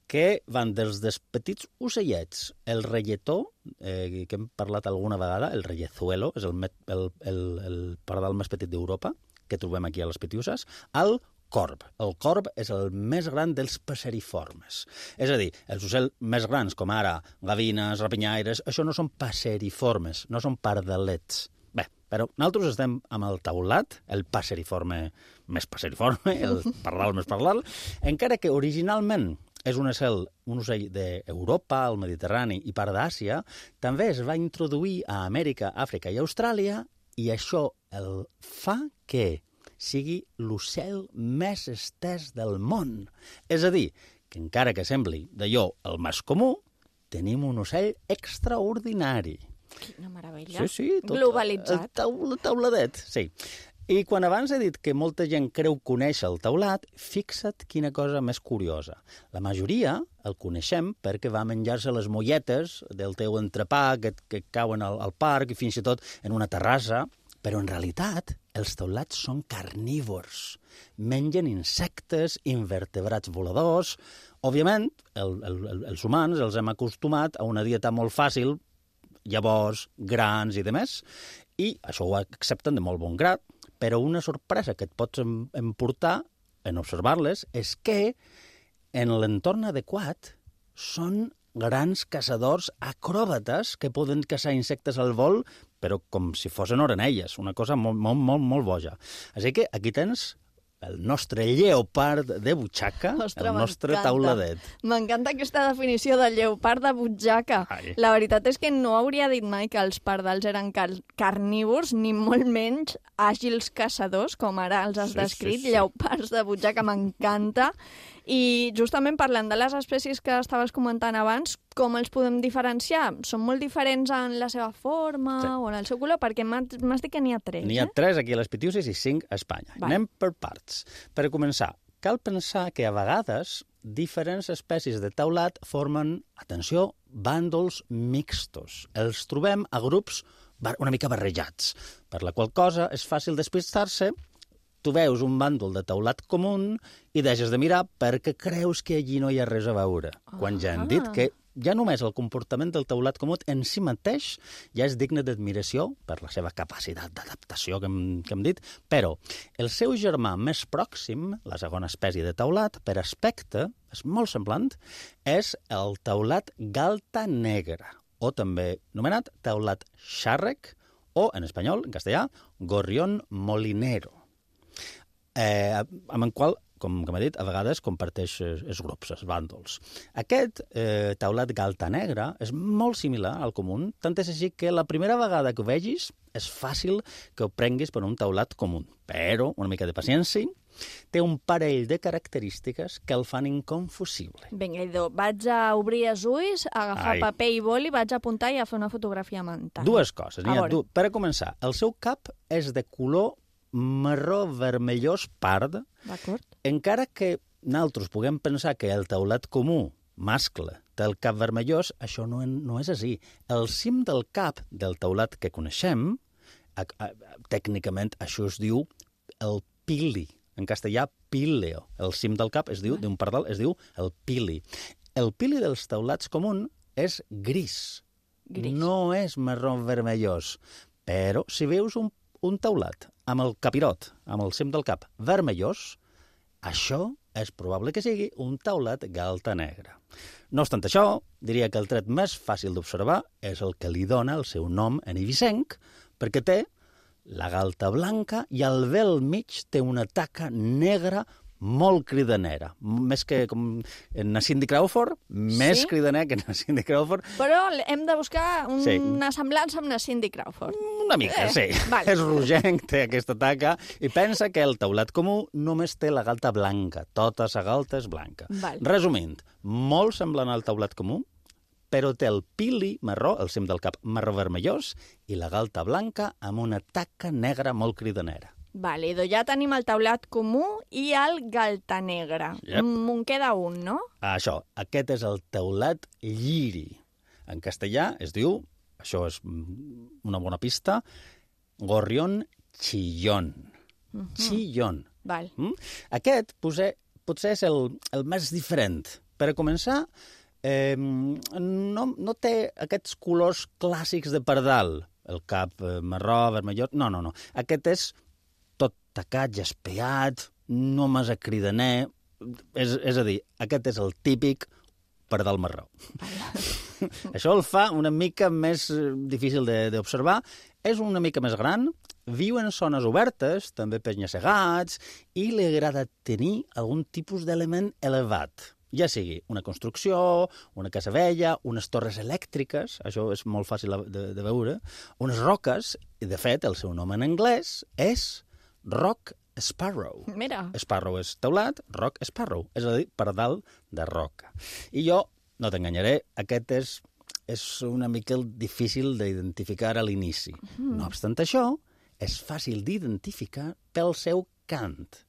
que van dels des petits ocellets. El relletó, eh, que hem parlat alguna vegada, el rellezuelo, és el, el, el, el pardal més petit d'Europa, que trobem aquí a les Pitiuses, al corb. El corb és el més gran dels passeriformes. És a dir, els ocells més grans, com ara gavines, rapinyaires, això no són passeriformes, no són pardalets. Bé, però nosaltres estem amb el taulat, el passeriforme més passeriforme, el pardal més pardal, encara que originalment és un ocell, un ocell d'Europa, el Mediterrani i part d'Àsia, també es va introduir a Amèrica, Àfrica i Austràlia, i això el fa que sigui l'ocell més estès del món. És a dir, que encara que sembli d'allò el més comú, tenim un ocell extraordinari. Quina meravella. Sí, sí. Tot, globalitzat. El taula, tauladet, sí. I quan abans he dit que molta gent creu conèixer el taulat, fixa't quina cosa més curiosa. La majoria el coneixem perquè va menjar-se les molletes del teu entrepà que, que cauen al, al parc i fins i tot en una terrassa, però en realitat els taulats són carnívors. Mengen insectes, invertebrats voladors. Òbviament, el, el, els humans els hem acostumat a una dieta molt fàcil, llavors, grans i demés, i això ho accepten de molt bon grat, però una sorpresa que et pots emportar en observar-les és que en l'entorn adequat són grans caçadors acròbates que poden caçar insectes al vol, però com si fossin orenelles, una cosa molt, molt, molt, molt boja. Així que aquí tens el nostre lleopard de butxaca, Ostres, el nostre tauladet. M'encanta aquesta definició de lleopard de butxaca. Ai. La veritat és que no hauria dit mai que els pardals eren car carnívors, ni molt menys àgils caçadors, com ara els has sí, descrit, sí, sí. Lleopards de butxaca, m'encanta. I justament parlant de les espècies que estaves comentant abans, com els podem diferenciar? Són molt diferents en la seva forma sí. o en el seu color? Perquè m'has dit que n'hi ha tres, N'hi ha eh? tres aquí a les Pitiuses i cinc a Espanya. Va. Anem per parts. Per començar, cal pensar que a vegades diferents espècies de taulat formen, atenció, bàndols mixtos. Els trobem a grups una mica barrejats, per la qual cosa és fàcil despistar-se. Tu veus un bàndol de taulat comú i deixes de mirar perquè creus que allí no hi ha res a veure. Ah. Quan ja hem dit que ja només el comportament del taulat comú en si mateix ja és digne d'admiració per la seva capacitat d'adaptació que, que hem dit, però el seu germà més pròxim, la segona espècie de taulat, per aspecte, és molt semblant, és el taulat galta negra, o també anomenat taulat xàrrec, o, en espanyol, en castellà, gorrión molinero. Eh, amb el qual, com, com he dit, a vegades comparteix els grups, els bàndols. Aquest eh, taulat galta negra és molt similar al comú, tant és així que la primera vegada que ho vegis és fàcil que ho prenguis per un taulat comú. Però, una mica de paciència, té un parell de característiques que el fan inconfusible. Vinga, Idò, vaig a obrir els ulls, agafar Ai. paper i boli, vaig a apuntar i a fer una fotografia mental. Dues coses. Ha, du... Per a començar, el seu cap és de color marró vermellós pard, encara que nosaltres puguem pensar que el taulat comú, mascle, té el cap vermellós, això no, no és així. El cim del cap del taulat que coneixem, a, a, tècnicament això es diu el pili, en castellà píleo. El cim del cap es diu, d'un pardal, es diu el pili. El pili dels taulats comú és gris, gris. No és marró vermellós, però si veus un, un taulat amb el capirot, amb el cim del cap vermellós, això és probable que sigui un taulat galta negra. No obstant això, diria que el tret més fàcil d'observar és el que li dona el seu nom en eivissenc, perquè té la galta blanca i al vel mig té una taca negra molt cridanera. Més que com en la Cindy Crawford, més sí? cridaner que en la Cindy Crawford. Però hem de buscar una sí. semblança amb la Cindy Crawford. Una mica, eh, sí. Vale. És rogenc, té aquesta taca, i pensa que el taulat comú només té la galta blanca. Tota la galta és blanca. Vale. Resumint, molt semblant al taulat comú, però té el pili marró, el cim del cap marró vermellós, i la galta blanca amb una taca negra molt cridanera. Vale, doncs ja tenim el taulat comú i el galta negra. Yep. Me'n queda un, no? Això, aquest és el taulat lliri. En castellà es diu, això és una bona pista, gorrión chillón. Uh-huh. Chillón. Val. Mm? Aquest potser, potser és el, el més diferent. Per a començar, eh, no, no té aquests colors clàssics de pardal. El cap eh, marró, vermellós... No, no, no. Aquest és tot tacat, jaspeat, només a cridaner. És, és a dir, aquest és el típic pardal marró. Això el fa una mica més difícil d'observar. És una mica més gran, viu en zones obertes, també penya-segats, i li agrada tenir algun tipus d'element elevat. Ja sigui una construcció, una casa vella, unes torres elèctriques, això és molt fàcil de, de veure, unes roques, i de fet el seu nom en anglès és Rock Sparrow. Mira. Sparrow és teulat, Rock Sparrow, és a dir, pardal de roca. I jo, no t'enganyaré, aquest és, és una mica difícil d'identificar a l'inici. Mm. No obstant això, és fàcil d'identificar pel seu cant.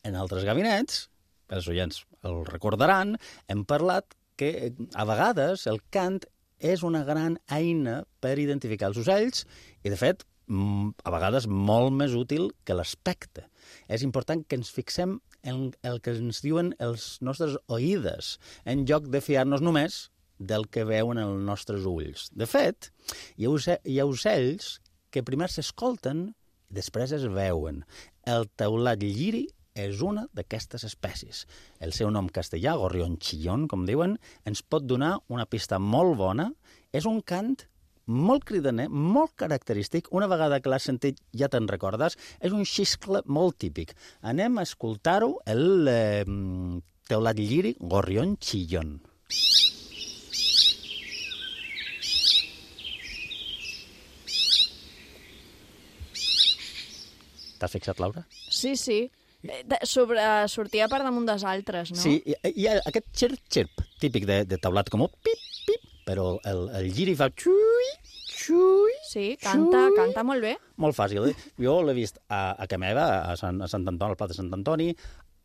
En altres gabinets, els oients el recordaran, hem parlat que a vegades el cant és una gran eina per identificar els ocells i, de fet, a vegades molt més útil que l'aspecte. És important que ens fixem en el que ens diuen els nostres oïdes, en lloc de fiar-nos només del que veuen els nostres ulls. De fet, hi ha ocells que primer s'escolten i després es veuen. El teulat lliri és una d'aquestes espècies. El seu nom castellà, gorrión chillón, com diuen, ens pot donar una pista molt bona. És un cant molt cridaner, molt característic. Una vegada que l'has sentit ja te'n recordes. És un xiscle molt típic. Anem a escoltar-ho, el eh, teulat lliri, gorrión chillón. T'has fixat, Laura? Sí, sí. Sobre, sortia per damunt dels altres, no? Sí, hi, hi ha aquest xirp-xirp típic de, de teulat, com un pip-pip, però el, el giri fa xui, xui, Sí, canta, xui. Canta molt bé. Molt fàcil, eh? Jo l'he vist a, a Cameva, a Sant, a Sant Antoni, al Pla de Sant Antoni,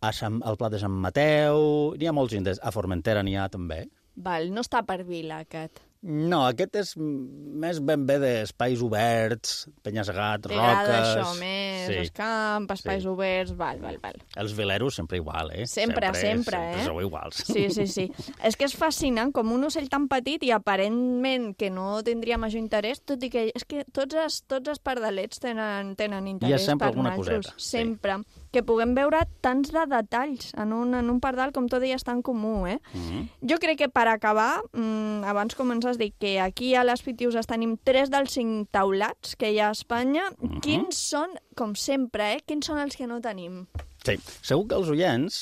a Sant, al Pla de Sant Mateu, n'hi ha molts indrets, a Formentera n'hi ha també. Val, no està per vila, aquest. No, aquest és més ben bé d'espais oberts, penya-segat, roques... T'agrada això més, sí. els camps, espais Sí. oberts, val, val, val. Els vileros sempre igual, eh? Sempre, sempre, sempre, sempre eh? sou iguals. Sí, sí, sí. És que és fascinant, com un ocell tan petit i aparentment que no tindria major interès, tot i que és que tots els, tots els pardalets tenen, tenen interès sempre per alguna nosaltres. coseta, sí. Sempre. Que puguem veure tants de detalls en un, en un pardal, com tu deies, tan comú, eh? Mm-hmm. Jo crec que per acabar, mmm, abans comences a dir que aquí a les Pitiuses tenim tres dels cinc taulats que hi ha a Espanya. Mm-hmm. Quins són, com sempre, eh? Quins són els que no tenim? Sí, segur que els oients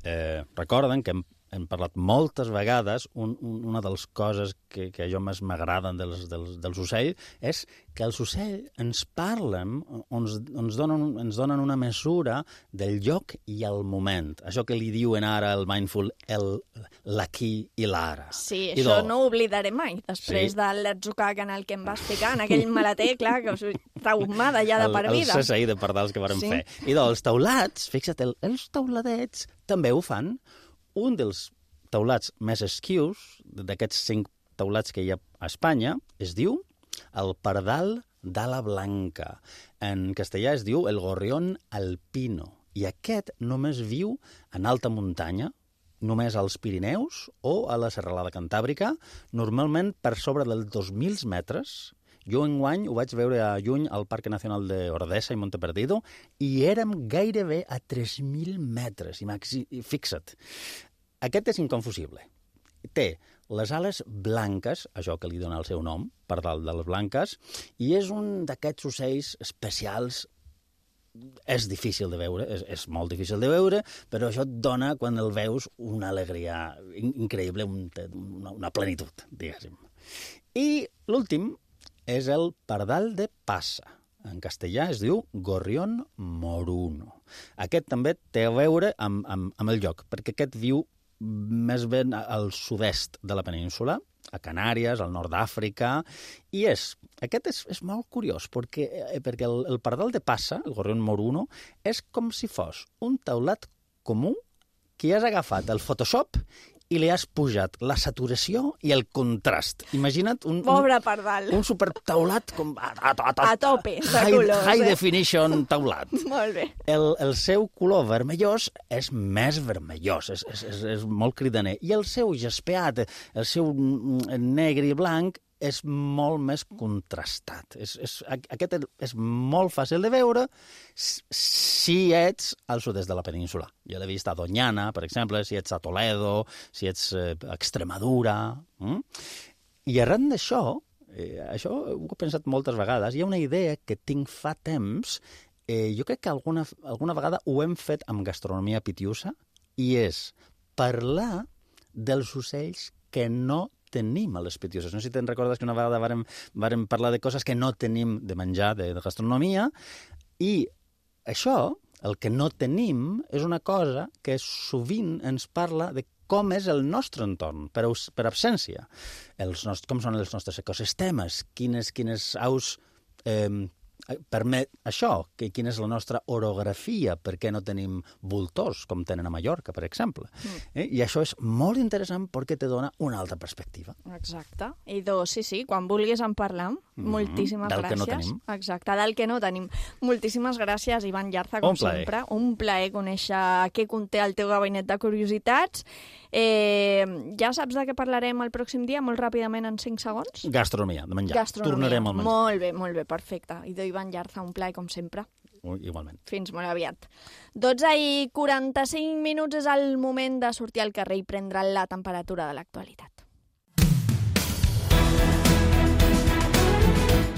eh, recorden que hem, hem parlat moltes vegades, un, un, una de les coses que, que a jo més m'agraden dels, dels, dels ocells és que els ocells ens parlen, ens, ens, donen, ens donen una mesura del lloc i el moment. Això que li diuen ara el mindful, el l'aquí i l'ara. Sí, I això do... no ho oblidaré mai, després Sí. de l'atzucac en el que em vas ficar, en aquell maleter, clar, que us traumada ja de per el, vida. el C S I de pardals que vàrem Sí. fer. I doncs, els taulats, fixa't, el, els tauladets també ho fan. Un dels taulats més esquius, d'aquests cinc taulats que hi ha a Espanya, es diu el pardal d'ala blanca. En castellà es diu el gorrión alpino. I aquest només viu en alta muntanya, només als Pirineus o a la Serralada Cantàbrica, normalment per sobre dels dos mil metres. Jo enguany ho vaig veure a lluny al Parc Nacional d'Ordesa i Monteperdido i érem gairebé a tres mil metres. I, maxi... I fixa't, aquest és inconfusible. Té les ales blanques, això que li dona el seu nom, pardal de les blanques, i és un d'aquests ocells especials. És difícil de veure, és, és molt difícil de veure, però això et dona, quan el veus, una alegria increïble, un, una, una plenitud, diguéssim. I l'últim és el pardal de passa. En castellà es diu gorrión moruno. Aquest també té a veure amb, amb, amb el lloc, perquè aquest viu més ben al sud-est de la península, a Canàries, al nord d'Àfrica, i és, aquest és, és molt curiós, perquè, perquè el, el pardal de passa, el gorrión moruno, és com si fos un taulat comú que has agafat el Photoshop i li has pujat la saturació i el contrast. Imagina't un, Pobre un, pardal. un supertaulat com a, a, a, A tope de high, colors, high eh? definition taulat. Molt bé. El, el seu color vermellós és més vermellós, és, és, és, és molt cridaner. I el seu jaspeat, el seu negre i blanc, és molt més contrastat. És, és, aquest és molt fàcil de veure si ets al sud-est de la península. Jo l'he vist a Doñana, per exemple, si ets a Toledo, si ets a Extremadura. Mm? I arran d'això, eh, això ho he pensat moltes vegades, hi ha una idea que tinc fa temps, eh, jo crec que alguna, alguna vegada ho hem fet amb gastronomia pitiusa, i és parlar dels ocells que no tenim a les pitiuses. No sé si te'n recordes que una vegada vàrem, vàrem parlar de coses que no tenim de menjar, de, de gastronomia, i això, el que no tenim, és una cosa que sovint ens parla de com és el nostre entorn, per, per absència. Els nostres, com són els nostres ecosistemes, quines, quines aus eh, permet això, que, quina és la nostra orografia, per què no tenim voltors, com tenen a Mallorca, per exemple. Mm. Eh? I això és molt interessant perquè te dona una altra perspectiva. Exacte. I dos, sí, sí, quan vulguis en parlam. Mm. Moltíssimes del gràcies. Del que no tenim. Exacte, del que no tenim. Moltíssimes gràcies, Ivan Llarza, com un sempre. Un plaer conèixer què conté el teu gabinet de curiositats. Eh, ja saps de què parlarem el pròxim dia, molt ràpidament, en cinc segons? Gastronomia, de menjar. Gastronomia. Tornarem al menjar. Molt bé, molt bé, perfecte. I d'Ivan Llarza, un plaer, com sempre. Igualment. Fins molt aviat. dotze i quaranta-cinc minuts és el moment de sortir al carrer i prendre la temperatura de l'actualitat.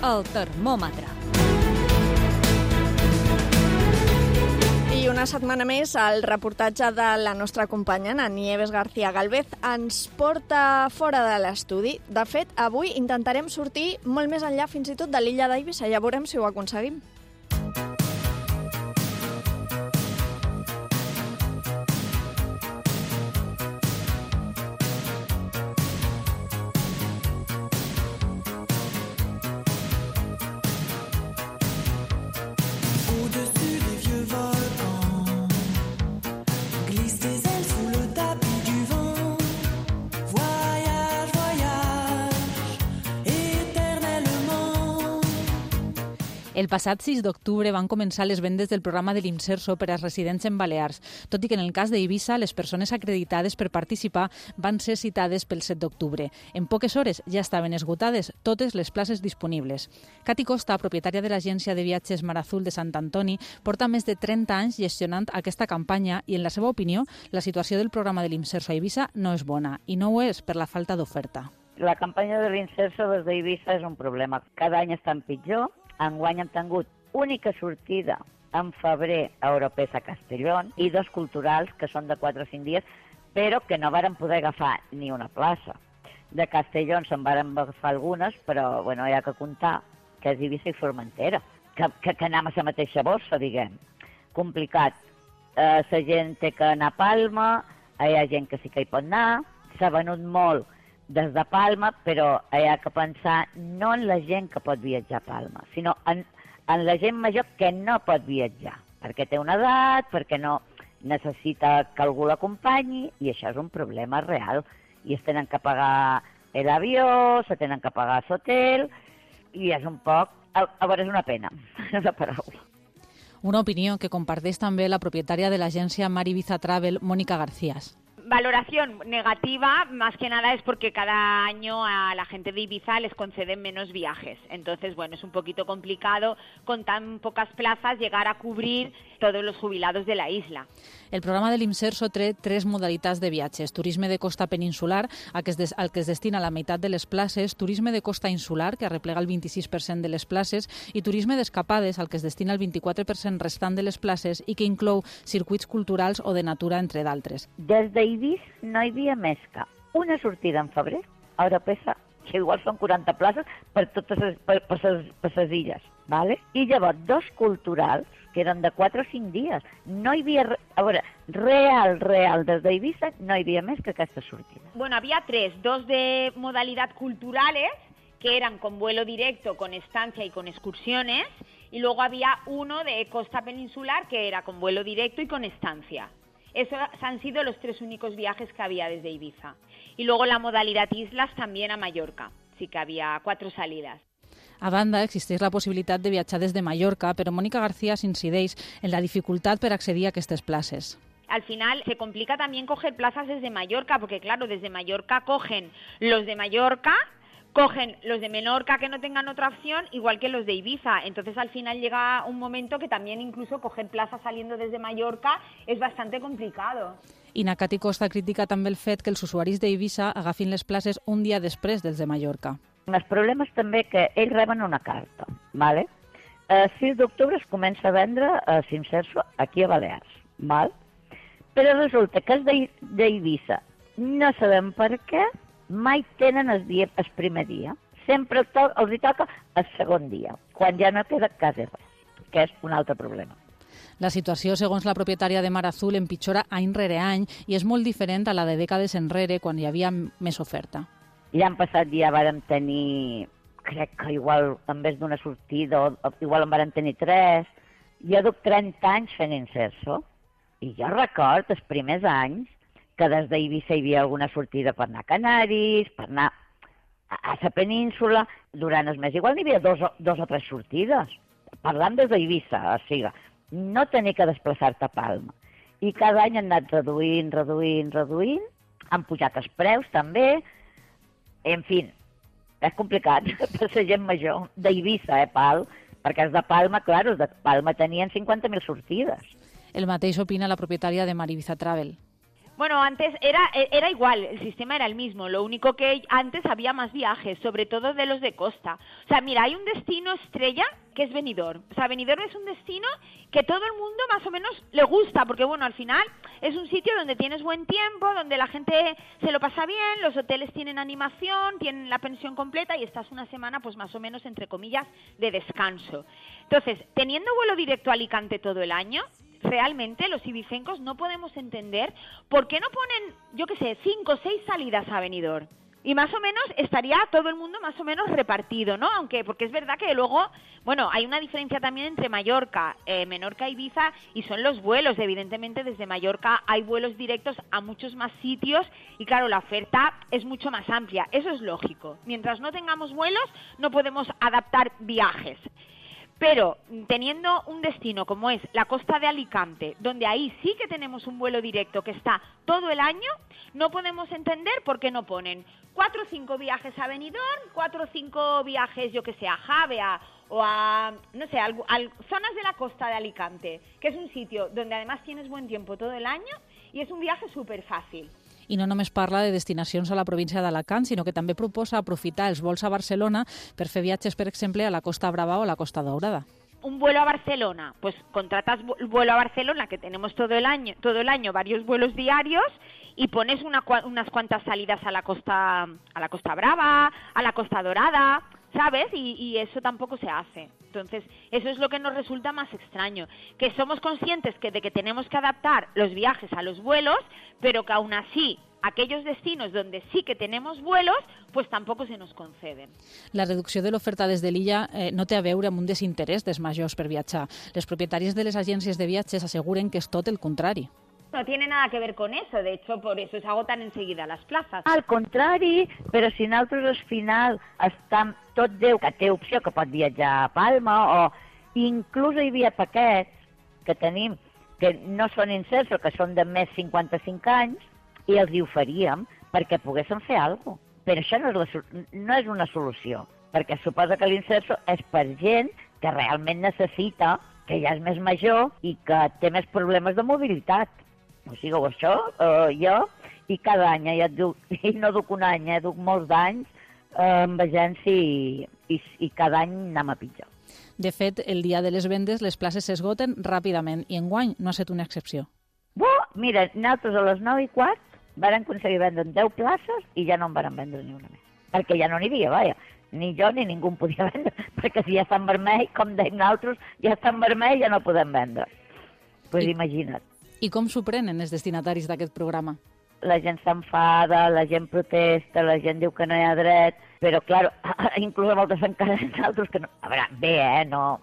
El termòmetre. I una setmana més, el reportatge de la nostra companya, Ana Nieves García Galvez, ens porta fora de l'estudi. De fet, avui intentarem sortir molt més enllà fins i tot de l'illa d'Eivissa. Ja veurem si ho aconseguim. El passat sis d'octubre van començar les vendes del programa de l'Imserso per als residents en Balears, tot i que en el cas d'Eivissa les persones acreditades per participar van ser citades pel set d'octubre. En poques hores ja estaven esgotades totes les places disponibles. Cati Costa, propietària de l'agència de viatges Mar Azul de Sant Antoni, porta més de trenta anys gestionant aquesta campanya i, en la seva opinió, la situació del programa de l'Imserso a Eivissa no és bona, i no ho és per la falta d'oferta. La campanya de l'Imserso des d'Eivissa és un problema. Cada any està pitjor. Enguany hem tingut única sortida en febrer a Europes a Castellón i dos culturals que són de quatre o cinc dies, però que no varen poder agafar ni una plaça. De Castellón se'n varen agafar algunes, però bueno, hi ha que comptar que és Eivissa i Formentera, que, que, que anem a la mateixa bossa, diguem. Complicat. Eh, la gent té que anar a Palma, hi ha gent que sí que hi pot anar, s'ha venut molt des de Palma, però hi ha que pensar no en la gent que pot viatjar a Palma, sinó en, en la gent major que no pot viatjar, perquè té una edat, perquè no necessita que algú l'acompanyi, i això és un problema real. I es tenen que pagar l'avió, se tenen que pagar l'hotel, i és un poc... A, a veure, és una pena, és la paraula. Una opinió que comparteix també la propietària de l'agència Mar Ibiza Travel, Mónica Garcías. Valoración negativa, más que nada es porque cada año a la gente de Ibiza les conceden menos viajes. Entonces, bueno, es un poquito complicado con tan pocas plazas llegar a cubrir todos los jubilados de la isla. El programa de l'Imserso té tres modalitats de viatges. Turisme de costa peninsular, al que, es des, al que es destina la meitat de les places, turisme de costa insular, que arreplega el vint-i-sis per cent de les places, i turisme d'escapades, al que es destina el vint-i-quatre per cent restant de les places i que inclou circuits culturals o de natura, entre d'altres. Des d'Eivissa no hi havia més que una sortida en febrer a Europesa, que igual són quaranta places per totes les, per, per, les, per les illes, ¿vale? I llavors dos culturals que eren de quatre o cinc dies. No hi havia, a veure, real, real, des d'Eivissa no hi havia més que aquesta sortida. Bueno, había tres, dos de modalidad culturales, que eran con vuelo directo, con estancia y con excursiones, y luego había uno de costa peninsular que era con vuelo directo y con estancia. Esos han sido los tres únicos viajes que había desde Ibiza. Y luego la modalidad islas también a Mallorca. Sí que había cuatro salidas. A banda, existeix la possibilitat de viatjar des de Mallorca, però Mónica García s'incideix en la dificultat per accedir a aquestes places. Al final se complica también coger plazas desde Mallorca, porque claro, desde Mallorca cogen los de Mallorca, cogen los de Menorca que no tengan otra opción, igual que los de Ibiza. Entonces al final llega un momento que también incluso coger plaza saliendo desde Mallorca es bastante complicado. I Nakati Costa critica també el fet que els usuaris d'Eivissa agafin les places un dia després dels de Mallorca. El problema és també que ells reben una carta, ¿vale? El sis d'octubre es comença a vendre a Simserso aquí a Balears, ¿vale? Però resulta que els d'Eivissa, no sabem per què, mai tenen el, dia, el primer dia. Sempre to els hi toca el segon dia, quan ja no queda quasi res, que és un altre problema. La situació, segons la propietària de Mar Azul, empitjora any rere any i és molt diferent a la de dècades enrere, quan hi havia més oferta. L'any passat ja vàrem tenir, crec que igual en vez d'una sortida, o igual en vàrem tenir tres. Jo duc trenta anys fent Inserso i jo record els primers anys que des d'Eivissa hi havia alguna sortida per anar a Canaris, per anar a la península. Durant el mes igual n'hi havia dos, dos o tres sortides, parlant des d'Eivissa, o sigui, no tenir que desplaçar-te a Palma. I cada any han anat reduint, reduint, reduint, han pujat els preus també. En fi, és complicat per la gent major d'Eivissa, eh, Pal? Perquè els de Palma, clar, els de Palma tenien cinquanta mil sortides. El mateix opina la propietària de Mar Ibiza Travel. Bueno, antes era, era igual, el sistema era el mismo, lo único que antes había más viajes, sobre todo de los de costa. O sea, mira, hay un destino estrella que es Benidorm. O sea, Benidorm es un destino que todo el mundo más o menos le gusta, porque bueno, al final es un sitio donde tienes buen tiempo, donde la gente se lo pasa bien, los hoteles tienen animación, tienen la pensión completa y estás una semana, pues más o menos, entre comillas, de descanso. Entonces, teniendo vuelo directo a Alicante todo el año, realmente los ibicencos no podemos entender por qué no ponen, yo qué sé, cinco o seis salidas a Benidorm. Y más o menos estaría todo el mundo más o menos repartido, ¿no? Aunque, porque es verdad que luego, bueno, hay una diferencia también entre Mallorca, eh, Menorca e Ibiza, y son los vuelos. Evidentemente, desde Mallorca hay vuelos directos a muchos más sitios y, claro, la oferta es mucho más amplia. Eso es lógico. Mientras no tengamos vuelos, no podemos adaptar viajes. Pero teniendo un destino como es la costa de Alicante, donde ahí sí que tenemos un vuelo directo que está todo el año, no podemos entender por qué no ponen cuatro o cinco viajes a Benidorm, cuatro o cinco viajes, yo que sé, a Javea o a, no sé, a, a zonas de la costa de Alicante, que es un sitio donde además tienes buen tiempo todo el año y es un viaje súper fácil. I no només parla de destinacions a la província d'Alacant, sinó que també proposa aprofitar els vols a Barcelona per fer viatges, per exemple, a la Costa Brava o a la Costa Daurada. Un vuelo a Barcelona, pues contratas vuelo a Barcelona, que tenemos todo el año, todo el año varios vuelos diarios, y pones una, unas cuantas salidas a la Costa, a la Costa Brava, a la Costa Dorada, ¿sabes? Y, y eso tampoco se hace. Entonces, eso es lo que nos resulta más extraño, que somos conscientes que de que tenemos que adaptar los viajes a los vuelos, pero que aún así aquellos destinos donde sí que tenemos vuelos, pues tampoco se nos conceden. La reducció de l'oferta des de l'illa eh, no té a veure amb un desinterès dels majors per viatjar. Les propietàries de les agències de viatges asseguren que és tot el contrari. No tiene nada que ver con eso, de hecho, por eso se agotan enseguida las plazas. Al contrari, però si nosaltres al final estem tot Déu que té opció, que pot viatjar a Palma, o inclús hi havia paquets que tenim que no són Inserso, que són de més cinquanta-cinc anys, i els hi oferíem perquè poguessin fer alguna cosa. Però això no és, la, no és una solució, perquè suposa que l'Inserso és per gent que realment necessita, que ja és més major i que té més problemes de mobilitat. O sigui, això, eh, jo, i cada any, ja et duc, i no duc un any, eh, duc molts d'anys eh, amb agència i, i, i cada any anem a pitjor. De fet, el dia de les vendes les places s'esgoten ràpidament i enguany no ha estat una excepció. Buah, mira, nosaltres a les nou i quart varen aconseguir vendre deu places i ja no en varen vendre ni una més. Perquè ja no n'hi havia, vaja. Ni jo ni ningú en podia vendre, perquè si ja està en vermell, com deim nosaltres, ja està en vermell, ja no podem vendre. Doncs pues imagina't. I com s'ho prenen els destinataris d'aquest programa? La gent s'enfada, la gent protesta, la gent diu que no hi ha dret, però, clar, inclús a moltes encara nosaltres que no... A veure, bé, eh, no...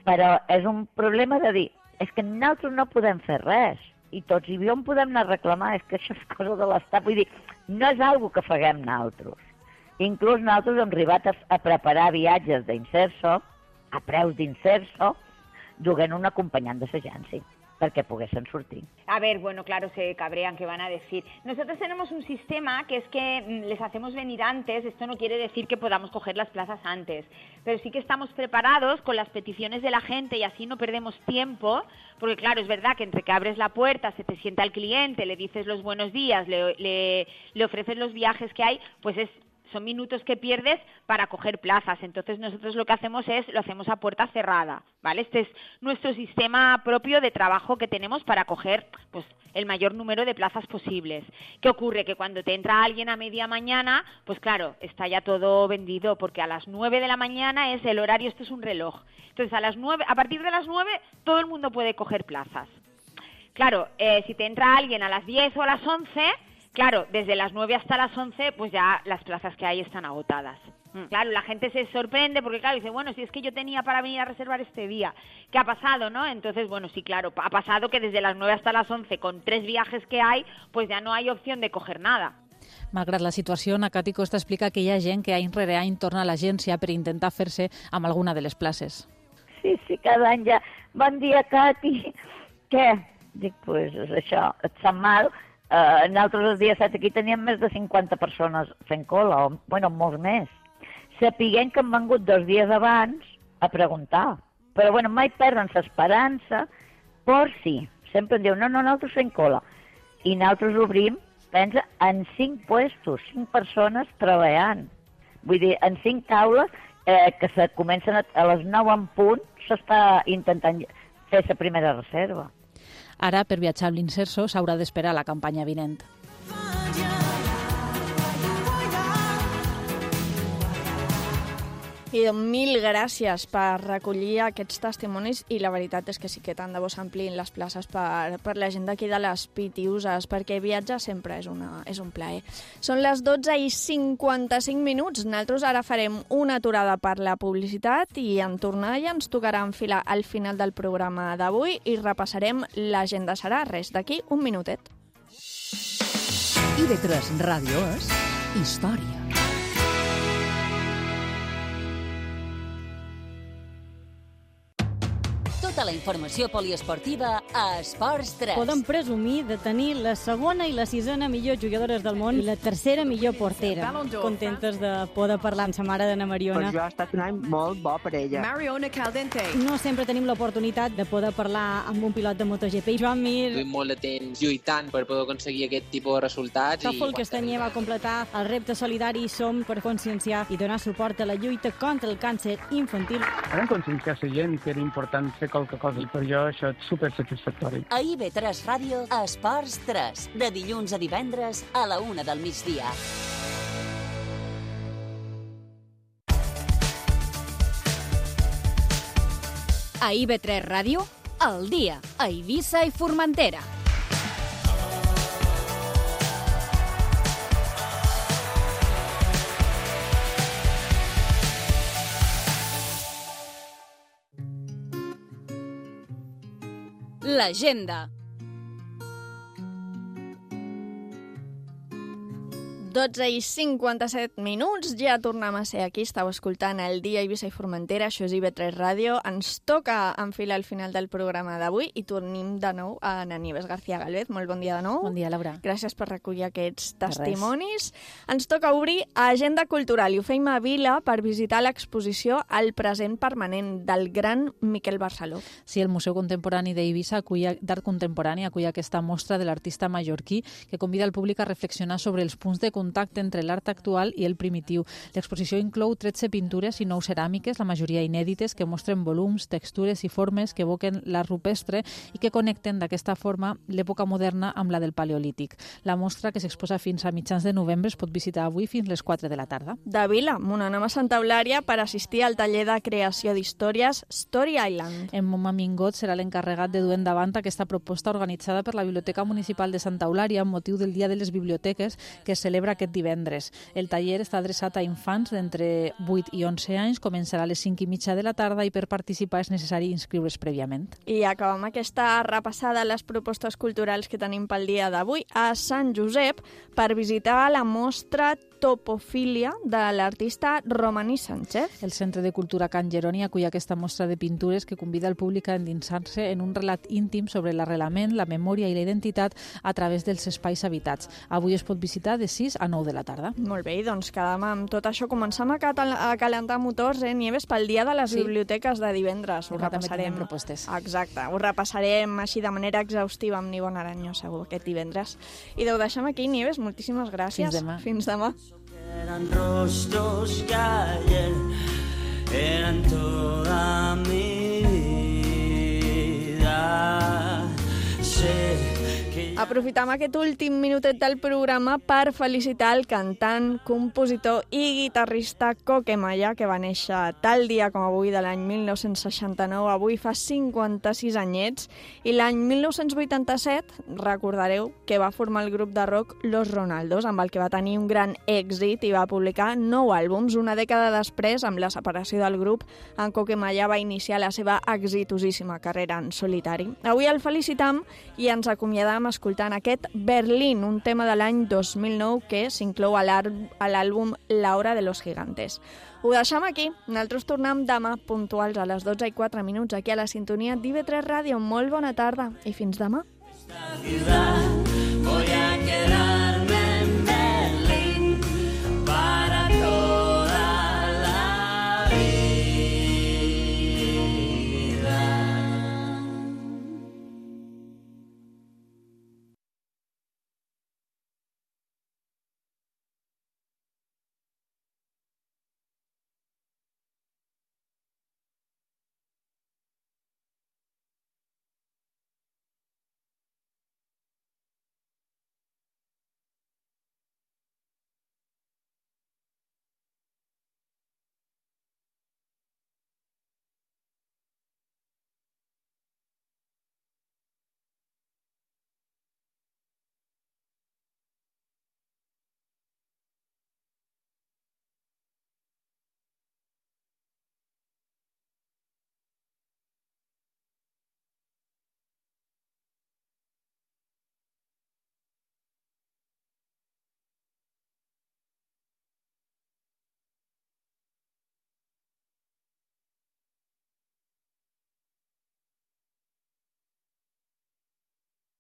Però és un problema de dir, és que nosaltres no podem fer res, i tots i on podem anar a reclamar, és que això és cosa de l'Estat, vull dir, no és algo que faguem nosaltres. Inclús nosaltres hem arribat a, a preparar viatges d'Inserso, a preus d'Inserso, duent un acompanyant de l'agència. perquè poguessin sortir. A ver, bueno, claro, se cabrean, ¿qué van a decir? Nosotros tenemos un sistema que es que les hacemos venir antes, esto no quiere decir que podamos coger las plazas antes, pero sí que estamos preparados con las peticiones de la gente y así no perdemos tiempo, porque claro, es verdad que entre que abres la puerta, se te sienta el cliente, le dices los buenos días, le, le, le ofreces los viajes que hay, pues es... son minutos que pierdes para coger plazas. Entonces nosotros lo que hacemos es, lo hacemos a puerta cerrada, ¿vale? Este es nuestro sistema propio de trabajo que tenemos para coger pues, el mayor número de plazas posibles. ¿Qué ocurre? Que cuando te entra alguien a media mañana, pues claro, está ya todo vendido, porque a las nueve de la mañana es el horario, esto es un reloj. Entonces a las nueve, a partir de las nueve todo el mundo puede coger plazas. Claro, eh, si te entra alguien a las diez o a las once... Claro, desde las nueve hasta las once, pues ya las plazas que hay están agotadas. Claro, la gente se sorprende porque, claro, dice, bueno, si es que yo tenía para venir a reservar este día, ¿qué ha pasado, no? Entonces, bueno, sí, claro, ha pasado que desde las nueve hasta las once, con tres viajes que hay, pues ya no hay opción de coger nada. Malgrat la situació, na Cati Costa explica que hi ha gent que any rere any torna a l'agència per intentar fer-se amb alguna de les places. Sí, sí, cada any ja, bon dia, Cati. Què? Dic, pues això, et sap mal? Uh, nosaltres el dia set aquí teníem més de cinquanta persones fent cola, o bueno, molts més. Sapiguem que han vengut dos dies abans a preguntar. Però bueno, mai perden l'esperança, por si. Sempre em diu, no, no, nosaltres fem cola. I nosaltres obrim, pensa, en cinc puestos, cinc persones treballant. Vull dir, en cinc taules eh, que se comencen a, a les nou en punt, s'està intentant fer la primera reserva. Ara, per viatjar amb l'Inserso, s'haurà d'esperar la campanya vinent. I mil gràcies per recollir aquests testimonis i la veritat és que sí que tant de bo s'ampliïn les places per, per la gent d'aquí de les Pitiuses, perquè viatjar sempre és, una, és un plaer. Són les dotze i cinquanta-cinc minuts. Nosaltres ara farem una aturada per la publicitat i en tornar ja ens tocarà enfilar al final del programa d'avui i repassarem l'agenda serà res d'aquí un minutet. I V tres Ràdio és història. Tota la informació poliesportiva a Esports tres. Podem presumir de tenir la segona i la sisena millor jugadores del món i la tercera millor portera. Contentes de poder parlar amb sa mare d'Anna Mariona. Per jo ha estat un any molt bo per ella. Mariona Caldente. No sempre tenim l'oportunitat de poder parlar amb un pilot de MotoGP. Joan Mir. Duim molt de temps lluitant per poder aconseguir aquest tipus de resultats. Tòfol Castanyer va completar el repte solidari Som per conscienciar i donar suport a la lluita contra el càncer infantil. Hem aconseguit que la gent que era important fer qualque cosa i per jo això és supersatisfactori. A I V tres Ràdio, a Esports tres, de dilluns a divendres a la una del migdia. A I V tres Ràdio, al dia, a Eivissa i Formentera. L'agenda. dotze i cinquanta-set minuts, ja tornem a ser aquí, estàu escoltant el dia Eivissa i Formentera, això és I V tres Ràdio, ens toca enfilar al final del programa d'avui i tornem de nou a Ana Nieves García Galvez. Molt bon dia de nou. Bon dia, Laura. Gràcies per recollir aquests testimonis. Ens toca obrir agenda cultural i ho feim a Vila per visitar l'exposició El present permanent del gran Miquel Barceló. Sí, el Museu Contemporani d'Eivissa d'Art Contemporani acull aquesta mostra de l'artista mallorquí que convida el públic a reflexionar sobre els punts de contacte entre l'art actual i el primitiu. L'exposició inclou tretze pintures i nou ceràmiques, la majoria inèdites, que mostren volums, textures i formes que evoquen l'art rupestre i que connecten d'aquesta forma l'època moderna amb la del Paleolític. La mostra, que s'exposa fins a mitjans de novembre, es pot visitar avui fins les quatre de la tarda. De Vila, m'anem a Santa Eulària per assistir al taller de creació d'històries Story Island. En Moma Mingot serà l'encarregat de dur endavant aquesta proposta organitzada per la Biblioteca Municipal de Santa Eulària amb motiu del Dia de les Biblioteques que es celebra aquest divendres. El taller està adreçat a infants d'entre vuit i onze anys, començarà a les cinc i mitja de la tarda i per participar és necessari inscriure's prèviament. I acabem aquesta repassada a les propostes culturals que tenim pel dia d'avui a Sant Josep per visitar la mostra Topofilia de l'artista Romaní Sánchez. El Centre de Cultura Can Jeroni acull aquesta mostra de pintures que convida el públic a endinsar-se en un relat íntim sobre l'arrelament, la memòria i la identitat a través dels espais habitats. Avui es pot visitar de sis a nou de la tarda. Molt bé, doncs quedam amb tot això. Començam a, catal a calentar motors, eh, Nieves, pel dia de les sí. biblioteques de divendres. Ho repassarem. Propostes. Exacte, ho repassarem així de manera exhaustiva amb Nivon Aranyo, segur, aquest divendres. I ho deixem aquí, Nieves, moltíssimes gràcies. Fins demà. Fins demà. Eran rostros que ayer eran toda mi vida. Sé Aprofitam aquest últim minutet del programa per felicitar el cantant, compositor i guitarrista Coque Malla, que va néixer tal dia com avui de l'any mil nou-cents seixanta-nou, avui fa cinquanta-sis anyets, i l'any mil nou-cents vuitanta-set, recordareu que va formar el grup de rock Los Ronaldos, amb el que va tenir un gran èxit i va publicar nou àlbums. Una dècada després, amb la separació del grup, en Coque Malla va iniciar la seva exitosíssima carrera en solitari. Avui el felicitam i ens acomiadam escoltant aquest Berlín, un tema de l'any dos mil nou que s'inclou a l'àlbum La Hora de los Gigantes. Ho deixem aquí. Nosaltres tornem demà puntuals a les dotze i quatre minuts aquí a la sintonia d'I V tres Ràdio. Molt bona tarda i fins demà. Voy a